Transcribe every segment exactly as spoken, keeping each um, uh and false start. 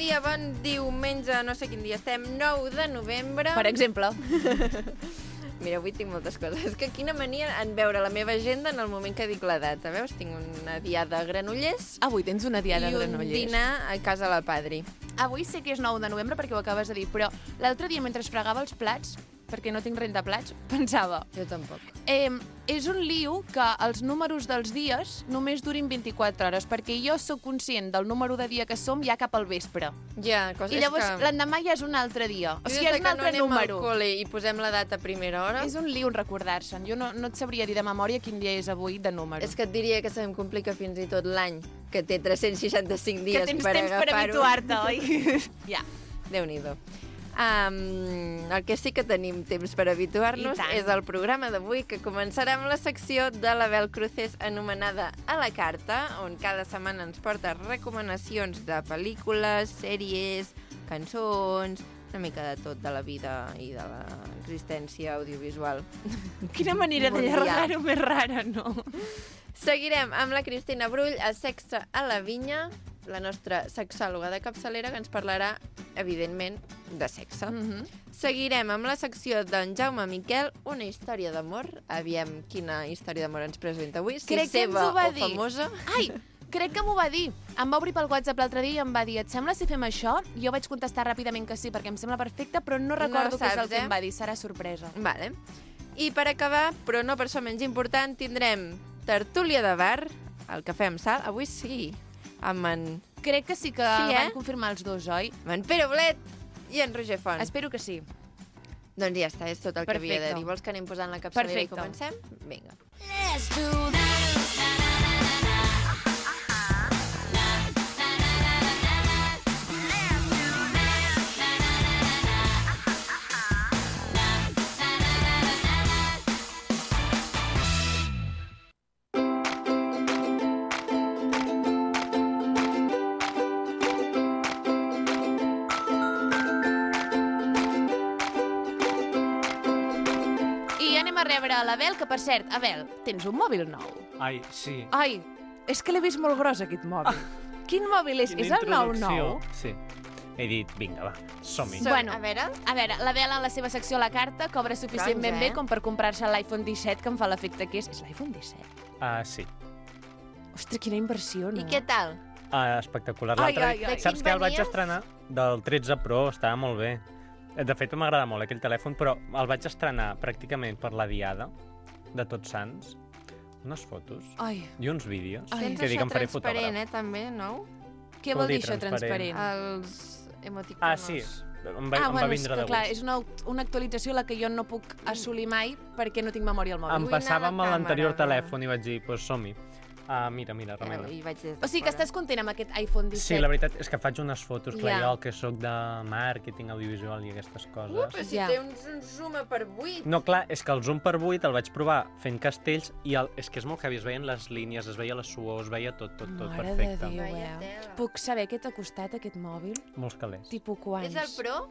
dia, bon diumenge, no sé quin dia estem, nou de novembre. Per exemple. Mira, avui tinc moltes coses. És que quina mania en veure la meva agenda en el moment que dic la data. Veus? Tinc una diada a Granollers. Avui tens una diada a I Granollers. un dinar a casa la Padri. Avui sé que és nou de novembre perquè ho acabes de dir, però l'altre dia mentre fregava els plats, perquè no tinc rentaplats, pensava... Jo tampoc. Eh, és un liu que els números dels dies només durin vint-i-quatre hores, perquè jo sóc conscient del número de dia que som ja cap al vespre. Ja, cosa I llavors que... l'endemà ja és un altre dia. O sigui, és és un altre no número. Al col·le i posem la data a primera hora. És un liu recordar-se'n. Jo no, no et sabria dir de memòria quin dia és avui de número. És que et diria que se'm complica fins i tot l'any, que té tres-cents seixanta-cinc dies que tens per temps per agafar-ho. habituar-te, oi? Ja. Déu-n'hi-do. Um, el que sí que tenim temps per habituar-nos és el programa d'avui, que començarà amb la secció de l'Abel Cruces anomenada A la Carta, on cada setmana ens porta recomanacions de pel·lícules, sèries, cançons, una mica de tot de la vida i de l'existència audiovisual. Quina manera d'allargar-ho més rara, no? Seguirem amb la Cristina Brull a Sexe a la Vinya, la nostra sexòloga de capçalera, que ens parlarà, evidentment, de sexe. Mm-hmm. Seguirem amb la secció d'en Jaume Miquel, una història d'amor. Aviam quina història d'amor ens presenta avui, si Crec que ens seva ho va o dir. famosa. Ai, crec que m'ho va dir. Em va obrir pel WhatsApp l'altre dia i em va dir, et sembla si fem això? Jo vaig contestar ràpidament que sí, perquè em sembla perfecte, però no recordo No què és el saps, que eh? em va dir. Serà sorpresa. Vale. I per acabar, però no per això menys important, tindrem tertúlia de bar, el cafè amb sal. Avui sí, amb en... Crec que sí que Sí, eh? van confirmar els dos, oi? amb en Pere Bolet i en Roger Font. Espero que sí. Doncs ja està, és tot el que havia de Perfecte. dir. Vols que anem posant la capçalera i Perfecte. comencem? Vinga. Let's do that. I anem a rebre a l'Abel, que per cert, Abel, tens un mòbil nou? Ai, sí. Ai, és que l'he vist molt gros, aquest mòbil. Quin mòbil és? Quina És el nou introducció. nou? Sí. He dit, vinga, va, som-hi. Som- Bueno, a veure... A veure, l'Abel en la seva secció a la carta cobra suficientment Doncs, eh? bé com per comprar-se l'iPhone disset, que em fa l'efecte que és. És l'iPhone disset? Ah, sí. Ostres, quina inversió, no? I què tal? Ah, espectacular. Ai, L'altre ai, dia- ai. Saps De que quin el vaig venies? estrenar del tretze Pro, estava molt bé. De fet, m'agrada molt aquell telèfon, però el vaig estrenar pràcticament per la diada de Tots Sants. Unes fotos Ai, i uns vídeos Ai. Tens que dic això em faré transparent, fotògraf. eh, també, no? què Vol vol dir dir això, transparent? transparent? Els emoticonos. Ah, sí. Em va, Ah, em bueno, va és vindre que de clar, gust. és una, una actualització a la que jo no puc assolir mai perquè no tinc memòria al mòbil. Em Vull anar passava a amb la l'anterior càmera, telèfon i vaig dir, doncs pues, som-hi. Ah, mira, mira, remena. I vaig des de O sigui que fora. estàs content amb aquest iPhone disset? Sí, la veritat és que faig unes fotos, clar, Ja. jo que sóc de màrqueting audiovisual i aquestes coses. Uh, però si Ja. té un, un zoom a per vuit. No, clar, és que el zoom per vuit el vaig provar fent castells i el, és que és molt heavy, es veien les línies, es veia la suor, es veia tot, tot, tot Mare perfecte. de Déu, Vaya eh? tela. Puc saber què t'ha costat aquest mòbil? Molts calés. Tipus quants? És el Pro?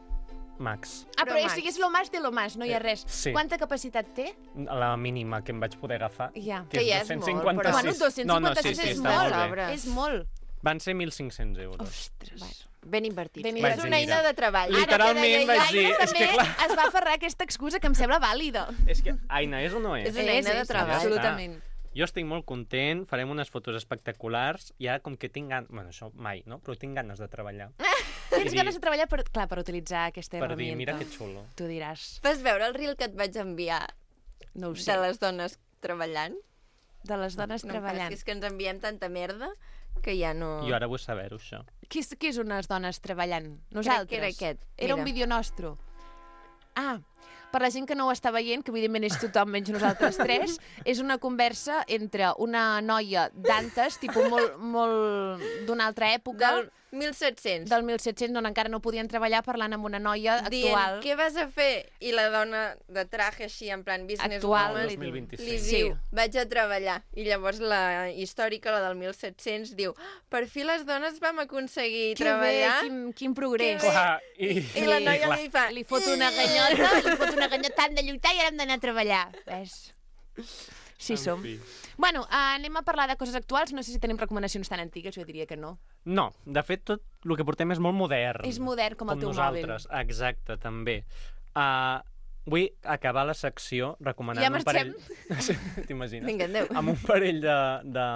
Max. Ah, Pro però o Max. sigui, és lo más de lo más, no hi ha Eh, res. sí. Quanta capacitat té? La mínima que em vaig poder agafar. Ja. Que ja és dos-cents molt, cinquanta-sis. però- Bueno, dos-cents cinquanta-sis no, no, sí, sí, és està molt. molt bé. Sobres. És molt. Van ser mil cinc-cents euros. Ostres. Bueno, ben invertit. Ben És invertit. una eina de treball. Literalment Ara que deia vaig jo, dir, Aina és que també clar. es va aferrar a aquesta excusa que em sembla vàlida. És que, Aina, és o no és? És una eina de treball. Absolutament. Jo estic molt content, farem unes fotos espectaculars i ara com que tinc ganes... Bueno, això mai, no? Però tinc ganes de treballar. Tens I ganes dir- de treballar per, clar, per utilitzar aquesta Per dir, herramienta. mira que xulo. Tu diràs, Vas veure el reel que et vaig enviar no ho sé, de les dones treballant? de les dones No em treballant. facis que ens enviem tanta merda que ja no... Jo ara vull saber-ho, això. Qui, és- qui és unes dones treballant? Nosaltres. que era aquest, Era mira. un vídeo nostre. Ah, per la gent que no ho està veient, que evidentment és tothom menys nosaltres tres, és una conversa entre una noia d'antes, tipus molt, molt d'una altra època, Del mil set-cents. del mil set-cents, on encara no podien treballar, parlant amb una noia Dient, actual. què vas a fer? I la dona de traje així, en plan business Actual, woman, li dos mil diu. vint-i-cinc. li Sí. diu, vaig a treballar. I llavors la històrica, la del mil set-cents, diu, "Ah, per fi les dones vam aconseguir Que treballar. bé, quin, quin progrés. Que bé. Clar, i, I la noia clar. li fa... Li fot una ganyota, li fot una ganyota, hem de lluitar i ara hem d'anar a treballar. Ves? Sí En som. fi. Bueno, uh, anem a parlar de coses actuals. No sé si tenim recomanacions tan antigues, jo diria que no. No, de fet, tot el que portem és molt modern. És modern com el teu nosaltres. Exacte, també. Uh, vull acabar la secció recomanant Ja un parell... marxem? Sí, t'imagines? Vinga, adéu. Amb un parell de, de,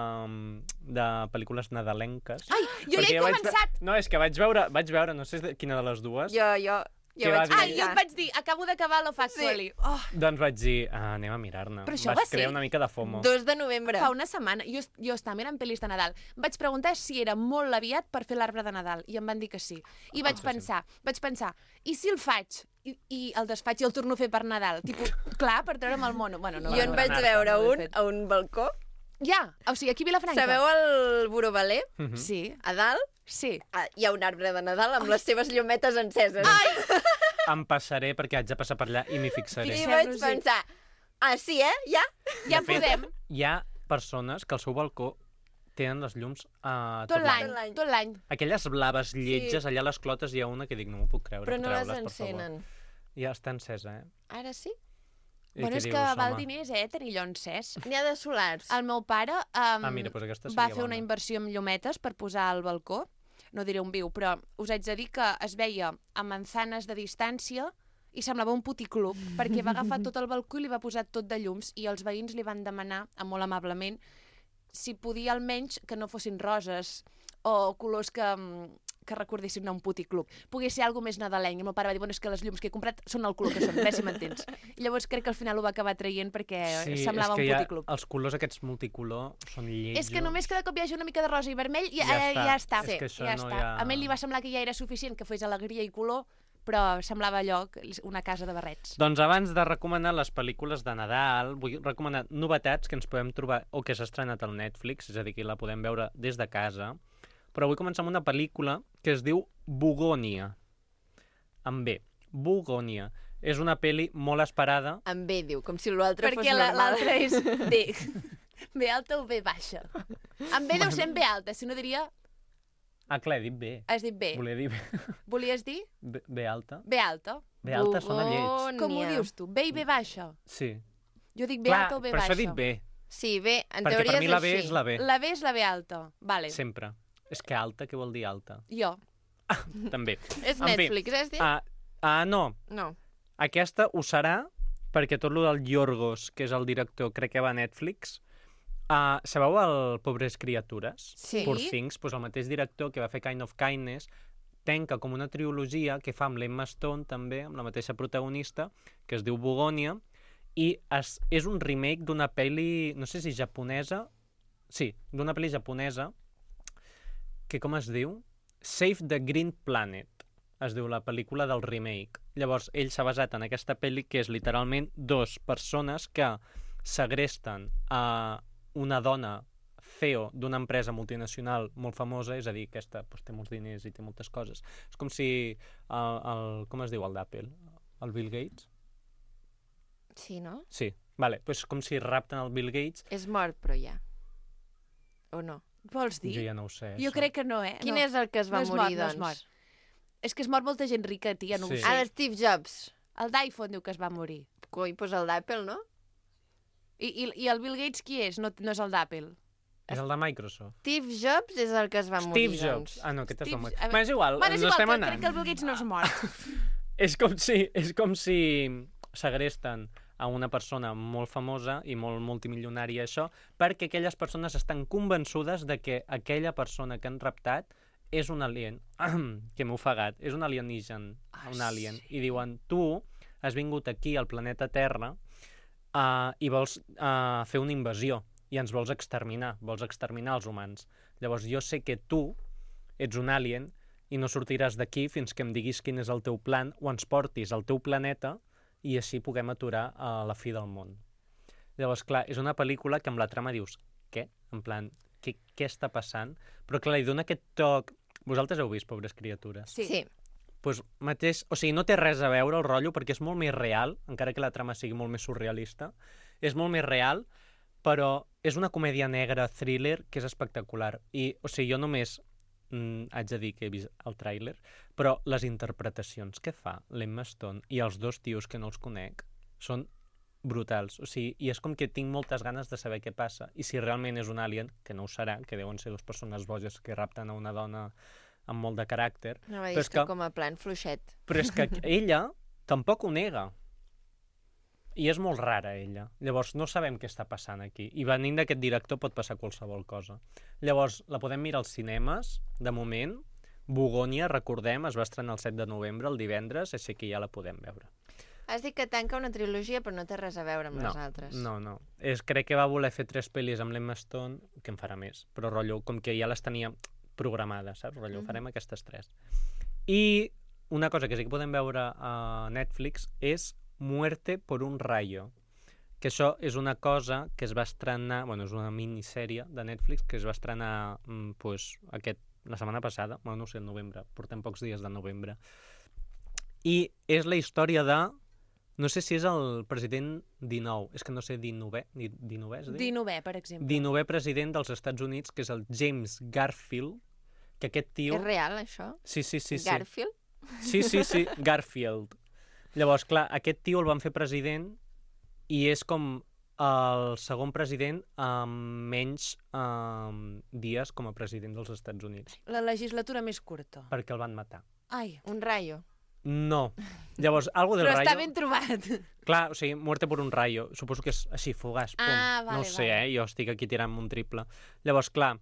de pel·lícules nadalenques. Ai, jo ja Perquè he vaig començat! ve- No, és que vaig veure, vaig veure, no sé de quina de les dues, Jo, jo, jo Què va vaig dir? Ai, jo et vaig dir, acabo d'acabar Love Actually. Oh, doncs vaig dir, ah, anem a mirar-ne. Però això Vaig va ser- crear una mica de FOMO. dos de novembre. fa una setmana, jo, jo estava mirant pel·lis de Nadal. Vaig preguntar si era molt aviat per fer l'arbre de Nadal, i em van dir que sí. I vaig sí, sí. pensar, vaig pensar, i si el faig, i, i el desfaig i el torno a fer per Nadal? Tipo, clar, per treure'm el mono. Bueno, no, Jo no, en no, vaig no, veure no ho he un fet. a un balcó. Ja, o sigui, aquí a Vilafranca. Sabeu el Borobaler? Mhm. Sí, A dalt sí. ah, hi ha un arbre de Nadal amb les seves llumetes enceses. Em passaré perquè haig de passar per allà i m'hi fixaré. I Fixem-nos-hi. vaig pensar, ah, sí, eh? Ja? Ja De fet, podem. Hi ha persones que al seu balcó tenen les llums uh, Tot l'any, Tot l'any. tot l'any. Aquelles blaves lletges, allà a les clotes hi ha una que dic, no m'ho puc creure. Però no les treu-les, per favor. encenen. Ja està encesa, eh? Ara sí? I Bueno, què és que dius, val home? diners, eh, tenir allò encès. N'hi ha de solars. El meu pare um, Ah, mira, doncs aquesta va seria fer una bona. inversió en llumetes per posar al balcó. No diré on viu, però us haig de dir que es veia a manzanes de distància i semblava un puticlub, perquè va agafar tot el balcó i li va posar tot de llums, i els veïns li van demanar, molt amablement, si podia almenys que no fossin roses o colors que, mm, que recordessin a un puticlub. Pogués ser alguna més nadalenc. I el meu pare va dir, bueno, és que les llums que he comprat són el color que són, bé si m'entens. I llavors crec que al final ho va acabar traient perquè Sí, semblava és que un hi ha- puticlub. els colors aquests multicolor són lletjos. És que només cada cop hi hagi una mica de rosa i vermell i Ja ja, està. ja està. És que això ja no està. hi ha- A mi li va semblar que ja era suficient que fes alegria i color, però semblava allò, una casa de barrets. Doncs abans de recomanar les pel·lícules de Nadal, vull recomanar novetats que ens podem trobar o que s'ha estrenat al Netflix, és a dir, que la podem veure des de casa. Però vull començar amb una pel·lícula que es diu Bugònia. Amb B. Bugònia. És una pel·li molt esperada. Amb B, diu, com si l'altre fos Perquè la- normal. l'altra és B. B alta o B baixa? En B deu ser en B alta, si no diria... Ah, clar, he dit B. Has dit B. Volia dir B, Volies dir B, B alta. B alta? B alta sona lleig. Com ho dius tu? B i B baixa? Sí. Jo dic B Clar, alta o B per baixa? això he dit B. Sí, B, en Perquè teoria per mi és la B així. és la B. La B és la B alta. Vale, Sempre. És que alta, què vol dir alta? jo. També. És En fi, Netflix, has dit? Ah, ah, no. No. Aquesta ho serà perquè tot lo del Yorgos, que és el director, crec que va a Netflix. Uh, sabeu el Pobres Criatures? Sí. Poor Things, doncs el mateix director que va fer Kind of Kindness tanca com una trilogia que fa amb l'Emma Stone també, amb la mateixa protagonista, que es diu Bugònia, i es, és un remake d'una pel·li, no sé si japonesa, sí, d'una pel·li japonesa, que com es diu? Save the Green Planet, es diu la pel·lícula del remake. Llavors, ell s'ha basat en aquesta pel·li que és literalment dos persones que segresten a una dona C E O d'una empresa multinacional molt famosa, és a dir, aquesta doncs, té molts diners i té moltes coses. És com si el, el com es diu el d'Apple? El Bill Gates? Sí, no? Sí, vale, doncs com si rapten el Bill Gates. És mort, però ja. O no? Vols dir? Jo ja no ho sé. Jo això. crec que no, eh? Quin no. és el que es va no és morir, mort, no és doncs? mort. És que es mor molta gent rica, tia, no Sí. ho sé. Ah, l'Steve Jobs. El d'iPhone diu que es va morir. Coi, doncs el d'Apple, no? I, i, I el Bill Gates qui és? No, no és el d'Apple. És el de Microsoft. Steve Jobs és el que es va Steve morir, Jobs. doncs. Ah, no, aquest es va Steve- morir. a veure- Bueno, és igual, Bueno, és ens igual, estem que anant. crec que el Bill Gates no és mort. És com si, és com si segresten a una persona molt famosa i molt multimilionària, això, perquè aquelles persones estan convençudes de que aquella persona que han raptat és un alien, que m'he ofegat, és un alienígen, Ah, un alien, sí. i diuen, tu has vingut aquí al planeta Terra uh, i vols uh, fer una invasió, i ens vols exterminar, vols exterminar els humans. Llavors jo sé que tu ets un alien i no sortiràs d'aquí fins que em diguis quin és el teu plan o ens portis al teu planeta i així puguem aturar a la fi del món. Llavors, clar, és una pel·lícula que amb la trama dius, què? En plan, què, què està passant? Però clar, li dona aquest toc... Vosaltres heu vist Pobres Criatures? Sí. Sí. Pues mateix, o sigui, no té res a veure el rotllo perquè és molt més real, encara que la trama sigui molt més surrealista. És molt més real, però és una comèdia negra, thriller, que és espectacular. I, o sigui, jo només mm, haig de dir que he vist el tràiler, però les interpretacions que fa l'Emma Stone i els dos tios que no els conec són brutals. O sigui, i és com que tinc moltes ganes de saber què passa. I si realment és un alien, que no ho serà, que deuen ser dues persones boges que rapten a una dona amb molt de caràcter. No, va dir però és que que, com a plan fluixet. però és que ella tampoc ho nega. I és molt rara, ella. Llavors, no sabem què està passant aquí. I venint d'aquest director pot passar qualsevol cosa. Llavors, la podem mirar als cinemes, de moment. Bogònia, recordem, es va estrenar el set de novembre, el divendres, així que ja la podem veure. Has dit que tanca una trilogia, però no té res a veure amb no, les altres. No, no. És, crec que va voler fer tres pel·lis amb l'Emma Stone, que en farà més, però rotllo, com que ja les tenia programades, saps? Rotllo, mm-hmm. farem aquestes tres. I una cosa que sí que podem veure a Netflix és Muerte por un rayo, que això és una cosa que es va estrenar, bueno, és una minissèrie de Netflix que es va estrenar mm, pues, aquest, la setmana passada, bueno, no sé, el novembre, portem pocs dies de novembre. I és la història de, no sé si és el president dinou, és que no sé, dinovè, dinovè es diu? dinovè, per exemple. dinovè president dels Estats Units, que és el James Garfield, que aquest tio... És real, això? Sí, sí, sí. sí. Garfield? Sí, sí, sí, Garfield. Llavors, clar, aquest tio el van fer president i és com el segon president amb menys um, dies com a president dels Estats Units. La legislatura més curta. Perquè el van matar. Ai. Un rayo. No. Llavors, algo del Però rayo... està ben trobat. Clar, o sigui, muerte por un rayo. Suposo que és així, fugaç, pum. Ah, vale, no ho sé, vale. eh? Jo estic aquí tirant un triple. Llavors, clar,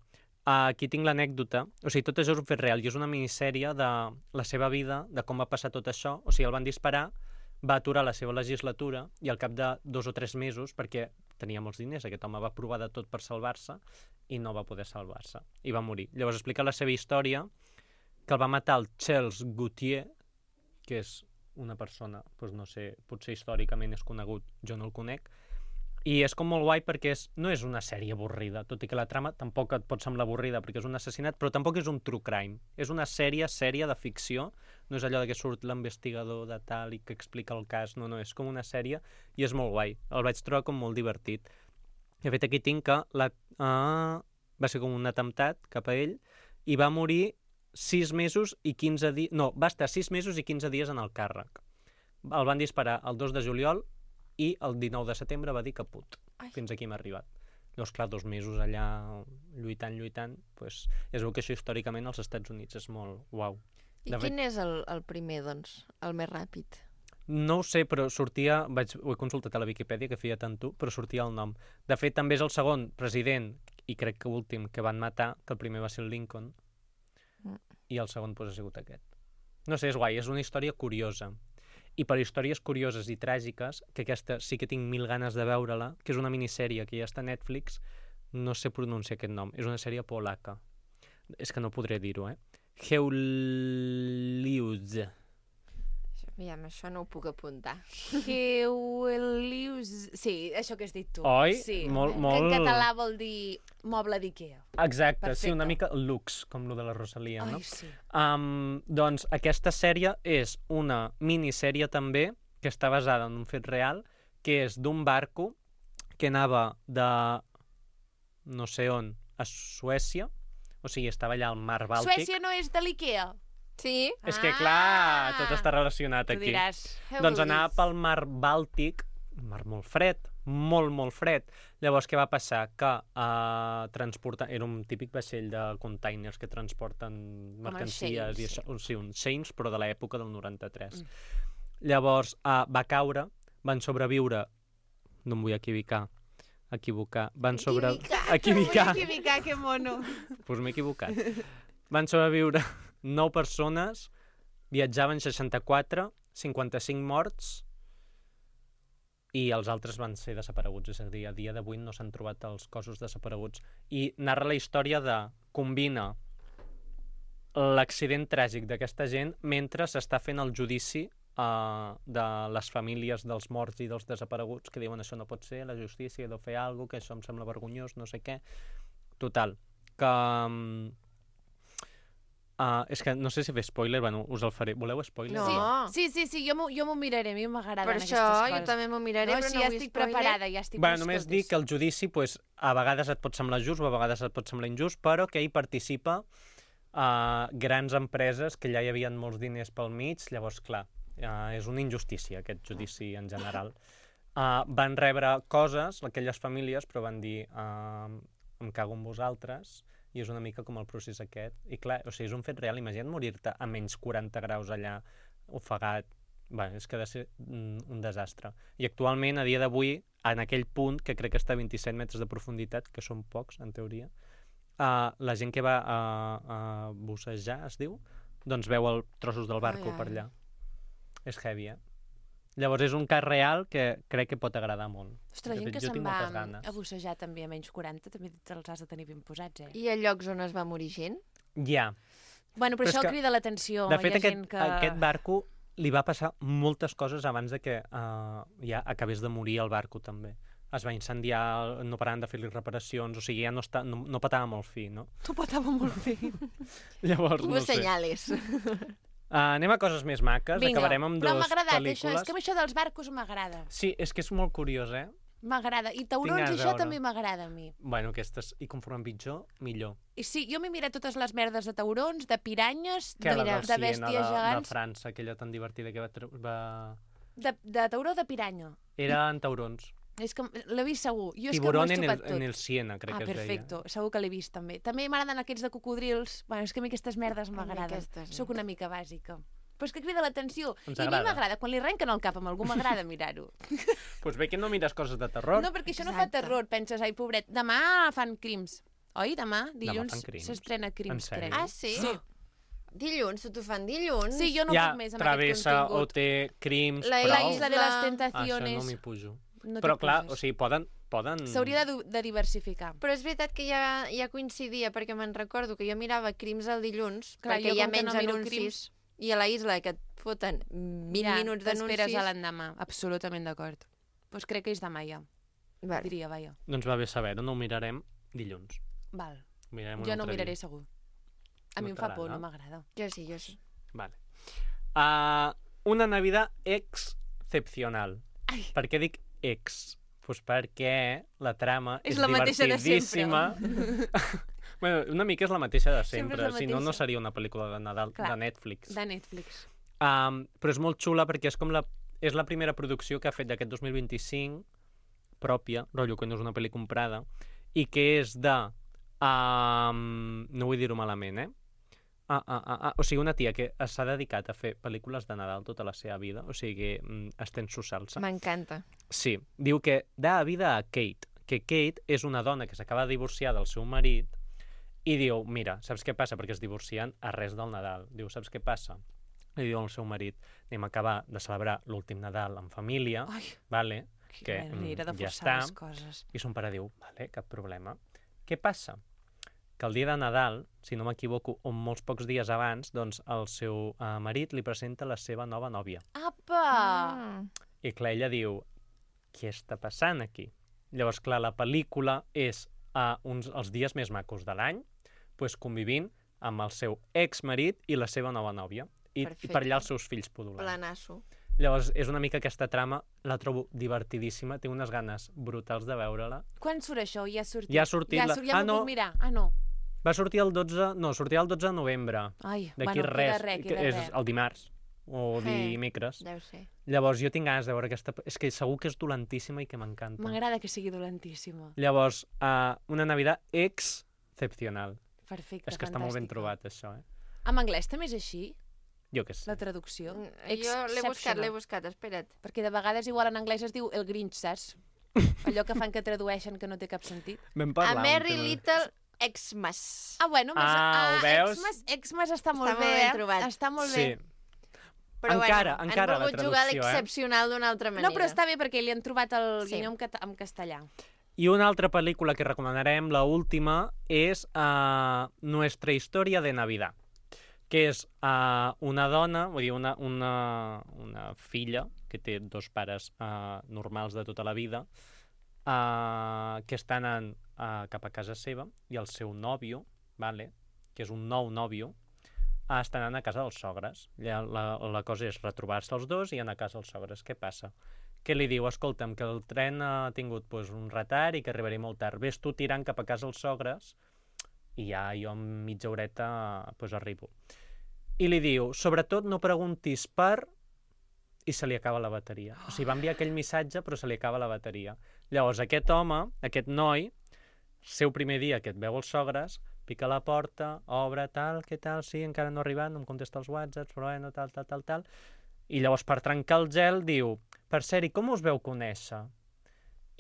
aquí tinc l'anècdota. O sigui, tot això és un fet real i és una minissèrie de la seva vida, de com va passar tot això. O sigui, el van disparar, va aturar la seva legislatura i al cap de dos o tres mesos, perquè tenia molts diners, aquest home va provar de tot per salvar-se i no va poder salvar-se. I va morir. Llavors explica la seva història, que el va matar el Charles Gautier, que és una persona, doncs no sé, potser històricament és conegut, jo no el conec, i és com molt guai perquè és, no és una sèrie avorrida, tot i que la trama tampoc et pot semblar avorrida perquè és un assassinat, però tampoc és un true crime. És una sèrie, sèrie de ficció, no és allò de que surt l'investigador de tal i que explica el cas, no, no, és com una sèrie i és molt guai. El vaig trobar com molt divertit. De fet, aquí tinc que la, uh, va ser com un atemptat cap a ell i va morir sis mesos i quinze dies... No, va estar sis mesos i quinze dies en el càrrec. El van disparar el dos de juliol i el dinou de setembre va dir caput. Ai. Fins aquí m'ha arribat. Llavors, clar, dos mesos allà lluitant, lluitant, doncs es veu que això històricament als Estats Units és molt uau. I De quin fet, és el, el primer, doncs? El més ràpid? no ho sé, però sortia... Vaig, ho he consultat a la Viquipèdia, que feia tant tu, però sortia el nom. De fet, també és el segon president, i crec que últim, que van matar, que el primer va ser el Lincoln, i el segon pues, ha sigut aquest. No sé, és guai, és una història curiosa. I per històries curioses i tràgiques, que aquesta sí que tinc mil ganes de veure-la, que és una minissèrie que ja està a Netflix, no sé pronunciar aquest nom, és una sèrie polaca. És que no podré dir-ho, eh? Heulius. Aviam, això no ho puc apuntar. Heulius... Sí, això que has dit tu. Oi? Sí. Molt, Que molt... en català vol dir moble d'Ikea. Exacte, Perfecte. sí, una mica lux, com lo de la Rosalia, no? Ai, sí. Um, doncs aquesta sèrie és una minissèrie també, que està basada en un fet real, que és d'un barco que anava de no sé on a Suècia, o sigui, estava allà al mar Bàltic. Suècia no és de l'Ikea? Sí? És que, clar, tot està relacionat Tu aquí. diràs. Doncs anava pel mar Bàltic, un mar molt fred, molt, molt fred. Llavors, què va passar? Que uh, transporta... Era un típic vaixell de containers que transporten mercancies i això. Sí, un Saints, però de l'època del noranta-tres. Mm. Llavors, uh, va caure, van sobreviure... No em vull equivocar. Equivocar. Van sobre... Equivocar. Equivocar, que mono. Doncs pues m'he equivocat. Van sobreviure nou persones, viatjaven seixanta-quatre, cinquanta-cinc morts i els altres van ser desapareguts. És a dir, a dia d'avui no s'han trobat els cossos desapareguts. I narra la història de... combina l'accident tràgic d'aquesta gent mentre s'està fent el judici uh, de les famílies dels morts i dels desapareguts, que diuen això no pot ser, la justícia ha de fer alguna cosa, que això em sembla vergonyós, no sé què. Total, que... Um, Uh, és que no sé si fer spoiler, bueno, us el faré. Voleu spoiler? No. Sí, sí, sí, jo m'ho jo m'ho miraré, a mi m'agraden Per aquestes això coses. jo també m'ho miraré, no, però sí, no ja vull estic spoiler. preparada, ja estic... Bueno, només dic que el judici, pues, a vegades et pot semblar just o a vegades et pot semblar injust, però que hi participa uh, grans empreses que ja hi havia molts diners pel mig, llavors, clar, uh, és una injustícia aquest judici en general. uh, van rebre coses, aquelles famílies, però van dir uh, em cago en vosaltres, i és una mica com el procés aquest. I clar, o sigui, és un fet real. Imagina't morir-te a menys quaranta graus allà, ofegat. Bé, és que ha de ser un desastre. I actualment, a dia d'avui, en aquell punt, que crec que està a vint-i-set metres de profunditat, que són pocs, en teoria, uh, la gent que va a, a bussejar, es diu, doncs veu el trossos del barco ai, per ai. allà. És heavy, eh? Llavors és un cas real que crec que pot agradar molt. Ostres, la De gent fet, que jo se'n tinc va moltes ganes. a bussejar també a menys quaranta, també te'ls has de tenir ben posats, eh? I a llocs on es va morir gent? Ja. Bueno, però, Però és això que, crida l'atenció. De fet, Hi ha aquest, gent que... aquest barco li va passar moltes coses abans de que uh, ja acabés de morir el barco, també. Es va incendiar, no paraven de fer-li reparacions, o sigui, ja no, està, no, no petava molt fi, no? Tu patava molt bé. Llavors, Hubo no sé. senyales. Uh, anem a coses més maques, Vinga, acabarem amb però dues m'ha agradat pel·lícules. això, és que a mi això dels barcos m'agrada. Sí, és que és molt curiós, eh? M'agrada. I Tinc taurons ganes i de això veure. també m'agrada a mi. Bueno, aquestes, i conforme pitjor, millor. I sí, jo m'he mirat totes les merdes de taurons, de piranyes, Que de, la de del Siena, bèsties de, de gegants... França, aquella tan divertida que va... tr- va... De, de tauró o de piranya? Eren taurons. És que l'he vist segur. Jo és Tiburón que en m'ho he el, estupat tot. en el Siena, crec Ah, que es deia. perfecto. Segur que l'he vist també. També m'agraden aquests de cocodrils. Bueno, és que a mi aquestes merdes m'agraden. aquestes no. Soc una mica bàsica. Però és que crida l'atenció. Ens I a mi agrada. m'agrada. Quan li arrenquen el cap amb algú m'agrada mirar-ho. Doncs pues bé que no mires coses de terror. No, perquè això no Exacte. fa terror. Penses, ai, pobret, demà fan crims. Oi, demà? Dilluns fan crims? s'estrena En crims, sèrio? crec. Ah, sí? Sí. Dilluns, tu t'ho fan dilluns? Sí, jo no ja puc més amb travessa aquest o contingut. té crims, La però... La isla de les Ah, Això tentaciones. no m'hi pujo. No t'hi però clar, puges. o sigui, poden... poden... S'hauria de, de diversificar. Però és veritat que ja, ja coincidia, perquè me'n recordo que jo mirava crims el dilluns, Clar, perquè jo hi ha com que menys no miro anuncis, crims- i a la isla que et foten vint ja, minuts t'esperes d'anuncis... a l'endemà. Absolutament d'acord. Doncs crec que és demà ja, Vale. diria, vaja. Doncs va bé saber-ho, no ho mirarem dilluns. Val. Ho mirarem un Jo no ho altre miraré dia. segur. A No mi em fa por, t'agrada? no m'agrada. Jo sí, jo sí. Vale. Uh, una Navidad excepcional. Ai. Per què dic ex? Pues perquè la trama És és, la mateixa de divertidíssima. bueno, una mica és la mateixa de Sempre sempre, és la si no, no mateixa. seria una pel·lícula de Nadal Clar. de Netflix. De Netflix. Um, però és molt xula perquè és com la, és la primera producció que ha fet d'aquest dos mil vint-i-cinc, pròpia, rotllo que no és una pel·li comprada, i que és de... Um, no vull dir-ho malament, eh? Ah, ah, ah, ah. O sigui, una tia que s'ha dedicat a fer pel·lícules de Nadal tota la seva vida, o sigui, mm, estén su salsa. M'encanta. Sí, diu que da vida a Kate, que Kate és una dona que s'acaba de divorciar del seu marit i diu, mira, saps què passa? Perquè es divorcien a res del Nadal. Diu, saps què passa? Li diu al seu marit, anem a acabar de celebrar l'últim Nadal en família, Ai, vale? que que, manera de mm, ja forçar està. les coses. I son pare diu, vale, cap problema. Què passa? Que el dia de Nadal, si no m'equivoco, o molts pocs dies abans, doncs el seu uh, marit li presenta la seva nova nòvia. Apa! Ah. I clar, ella diu, què està passant aquí? Llavors, clar, la pel·lícula és uh, uns, els dies més macos de l'any, pues, convivint amb el seu exmarit i la seva nova nòvia. I, i per allà els seus fills pudulant. Planasso. Llavors, és una mica aquesta trama, la trobo divertidíssima, tinc unes ganes brutals de veure-la. Quan surt això? Ja ha sortit? Ja ha sortit Ja, la- surt, ja Ah, m'ho no. puc mirar? Ah, no. Va sortir el dotze... No, sortirà el dotze de novembre. Ai, D'aquí bueno, res. queda res, que queda és res. el dimarts o Eh. dimecres. Deu ser. Llavors, jo tinc ganes de veure aquesta... És que segur que és dolentíssima i que m'encanta. M'agrada que sigui dolentíssima. Llavors, uh, una Navidad excepcional. Perfecte, És que està molt ben fantàstica. trobat, això, eh? En anglès també és així, Jo què sé. la traducció? Mm, Jo l'he buscat, l'he buscat, espera't. Perquè de vegades igual en anglès es diu el Grinch, saps? Allò que fan que tradueixen que no té cap sentit. Vam A parlar un Merry tema. Little Xmas. Ah, bueno, més... Ah, ho veus? Xmas, Xmas està molt Està bé, molt ben eh? trobat. Està molt Sí. bé. Però Encara, bueno, encara han la volgut jugar traducció, eh? l'excepcional d'una altra manera. No, però està bé perquè li han trobat el Sí. guinyó en, cata en castellà. I una altra pel·lícula que recomanarem, la última, és uh, Nuestra història de Navidad, que és uh, una dona, vull dir, una, una, una filla que té dos pares uh, normals de tota la vida, uh, que estan en, uh, cap a casa seva, i el seu nòvio, vale, que és un nou nòvio, uh, estan anant a casa dels sogres. La, la, la cosa és retrobar-se els dos i anar a casa dels sogres. Què passa? Que li diu, escolta'm, que el tren ha tingut pues, un retard i que arribaré molt tard. Ves tu tirant cap a casa els sogres i ja jo en mitja horeta pues, arribo. I li diu, sobretot no preguntis per i se li acaba la bateria. O sigui, va enviar aquell missatge, però se li acaba la bateria. Llavors, aquest home, aquest noi, seu primer dia que et veu els sogres, pica a la porta, obre, tal, què tal, sí, encara no ha arribat, no em contesta els whatsapps, però bueno, tal, tal, tal, tal. I llavors, per trencar el gel, diu, per ser, i com us veu conèixer?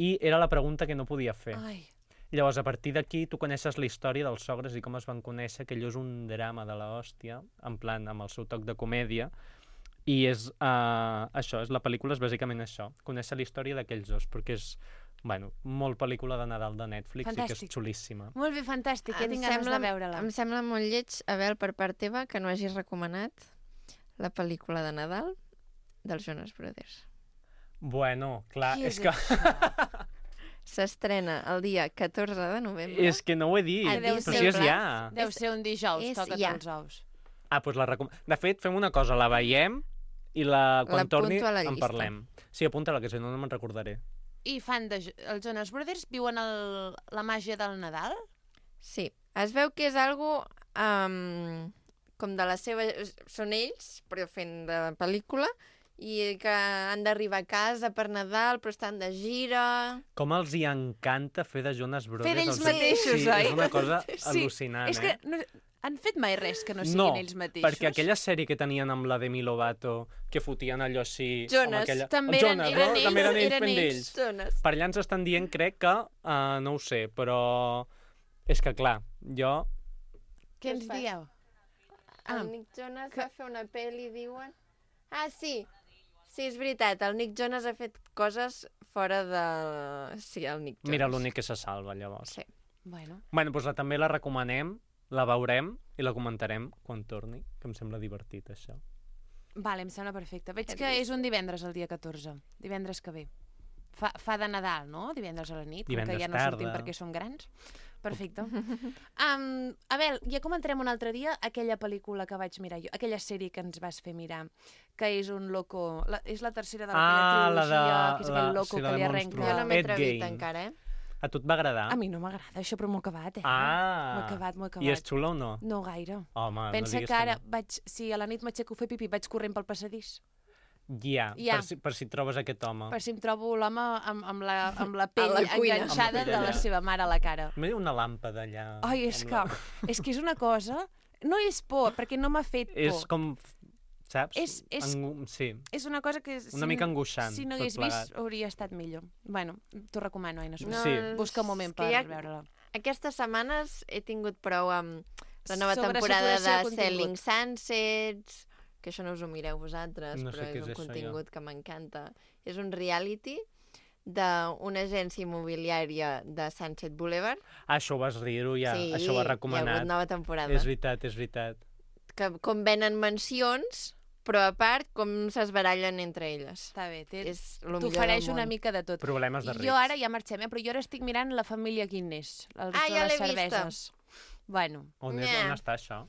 I era la pregunta que no podia fer. Ai. Llavors, a partir d'aquí, tu coneixes la història dels sogres i com es van conèixer, que allò és un drama de l'hòstia, en plan, amb el seu toc de comèdia, i és uh, això, és la pel·lícula és bàsicament això, conèixer la història d'aquells dos, perquè és, bueno, molt pel·lícula de Nadal de Netflix Fantàstic. i que és xulíssima. Molt bé, fantàstic, ja Em tinc ganes sembla- de veure-la. Em sembla molt lleig, Abel, per part teva, que no hagis recomanat la pel·lícula de Nadal dels Jonas Brothers. Bueno, clar, Qui és, és que... S'estrena el dia catorze de novembre. és que no ho he dit, A però Disney si és Plus. ja. Deu És- ser un dijous, és toca't ja. els ous. Ah, doncs la recom... De fet, fem una cosa, la veiem i la, quan L'apunto torni a la en llista. parlem. Sí, apunta-la, que si no, no me'n recordaré. I fan de... Els Jonas Brothers viuen el... la màgia del Nadal? Sí, es veu que és algo um, com de la seva... Són ells, però fent de pel·lícula, i que han d'arribar a casa per Nadal, però estan de gira... Com els hi encanta fer de Jonas Brothers. Fer d'ells els- mateixos, sí, oi? és una cosa Sí, al·lucinant, és que eh? no... han fet mai res que no siguin No, ells mateixos? perquè aquella sèrie que tenien amb la Demi Lovato, que fotien allò així... amb Jonas, aquella... també Els eren- Jonas, eren no? ells, També eren ells eren fent ells. d'ells. Jonas. Per allà ens estan dient, crec que... Uh, no ho sé, però... És que, clar, jo... Què Què ens es fa? dieu? El Ah, Nick Jonas que- va fer una pel·li, diuen... Ah, sí, sí, és veritat, el Nick Jonas ha fet coses fora de... Sí, el Nick Jonas. Mira, l'únic que se salva, llavors. Sí. bueno. Bueno, doncs la, també la recomanem, la veurem i la comentarem quan torni, que em sembla divertit, això. Vale, em sembla perfecte. Veig Hem que vist. és un divendres el dia catorze. Divendres que ve. Fa, fa de Nadal, no? Divendres a la nit, com Divendres que ja no sortim tarda. perquè som grans. Perfecte. Um, Abel, ja comentarem un altre dia aquella pel·lícula que vaig mirar jo, aquella sèrie que ens vas fer mirar, que és un loco... La, és la tercera de Ah, aquella la trilogia, de- que és la- aquell loco sí, la que de li Monstruo. arrenca... Jo no m'he Ed atrevit Gein. encara, eh? A tu et va agradar? A mi no m'agrada, això, però m'ho he acabat, eh? Ah! M'ho he acabat, m'ho he acabat. I és xulo o no? No gaire. Home, Pensa no diguis que ara no. vaig... Si a la nit m'aixeco a fer pipí, vaig corrent pel passadís. Ja, Ja. Per, si, per si trobes aquest home. Per si em trobo l'home amb, amb, la, amb la pell la cuina. enganxada Amb la de la pell allà. seva mare a la cara. M'he una làmpada allà. Ai, és amb que, la- és que és una cosa... No és por, perquè no m'ha fet por. És com... Saps? És- és- Angu... Sí, És una cosa que... Si, una mica angoixant, Si no tot hagués plegat. vist, hauria estat millor. Bueno, t'ho recomano, Aina. No, Sí. Busca un moment és que per ja- veure-la. Aquestes setmanes he tingut prou amb la nova Sobre temporada de saturació de Selling contingut. Sunsets, que això no us ho mireu vosaltres, No sé però què és és un això, contingut que m'encanta. És un reality d'una agència immobiliària de Sunset Boulevard. Ah, això ho vas dir-ho ja, sí, això ho has hi ha recomanat. hagut nova temporada. És veritat, és veritat. Que com venen mansions, però a part com s'esbarallen entre elles. Està bé, té... És el millor t'ofereix del una món. mica de tot. Problemes de rics. Jo ara ja marxem, eh? Però jo ara estic mirant la família Guinness, els Ah, de ja les l'he vista. cerveses. Bueno, On, és, Nyah. on està això?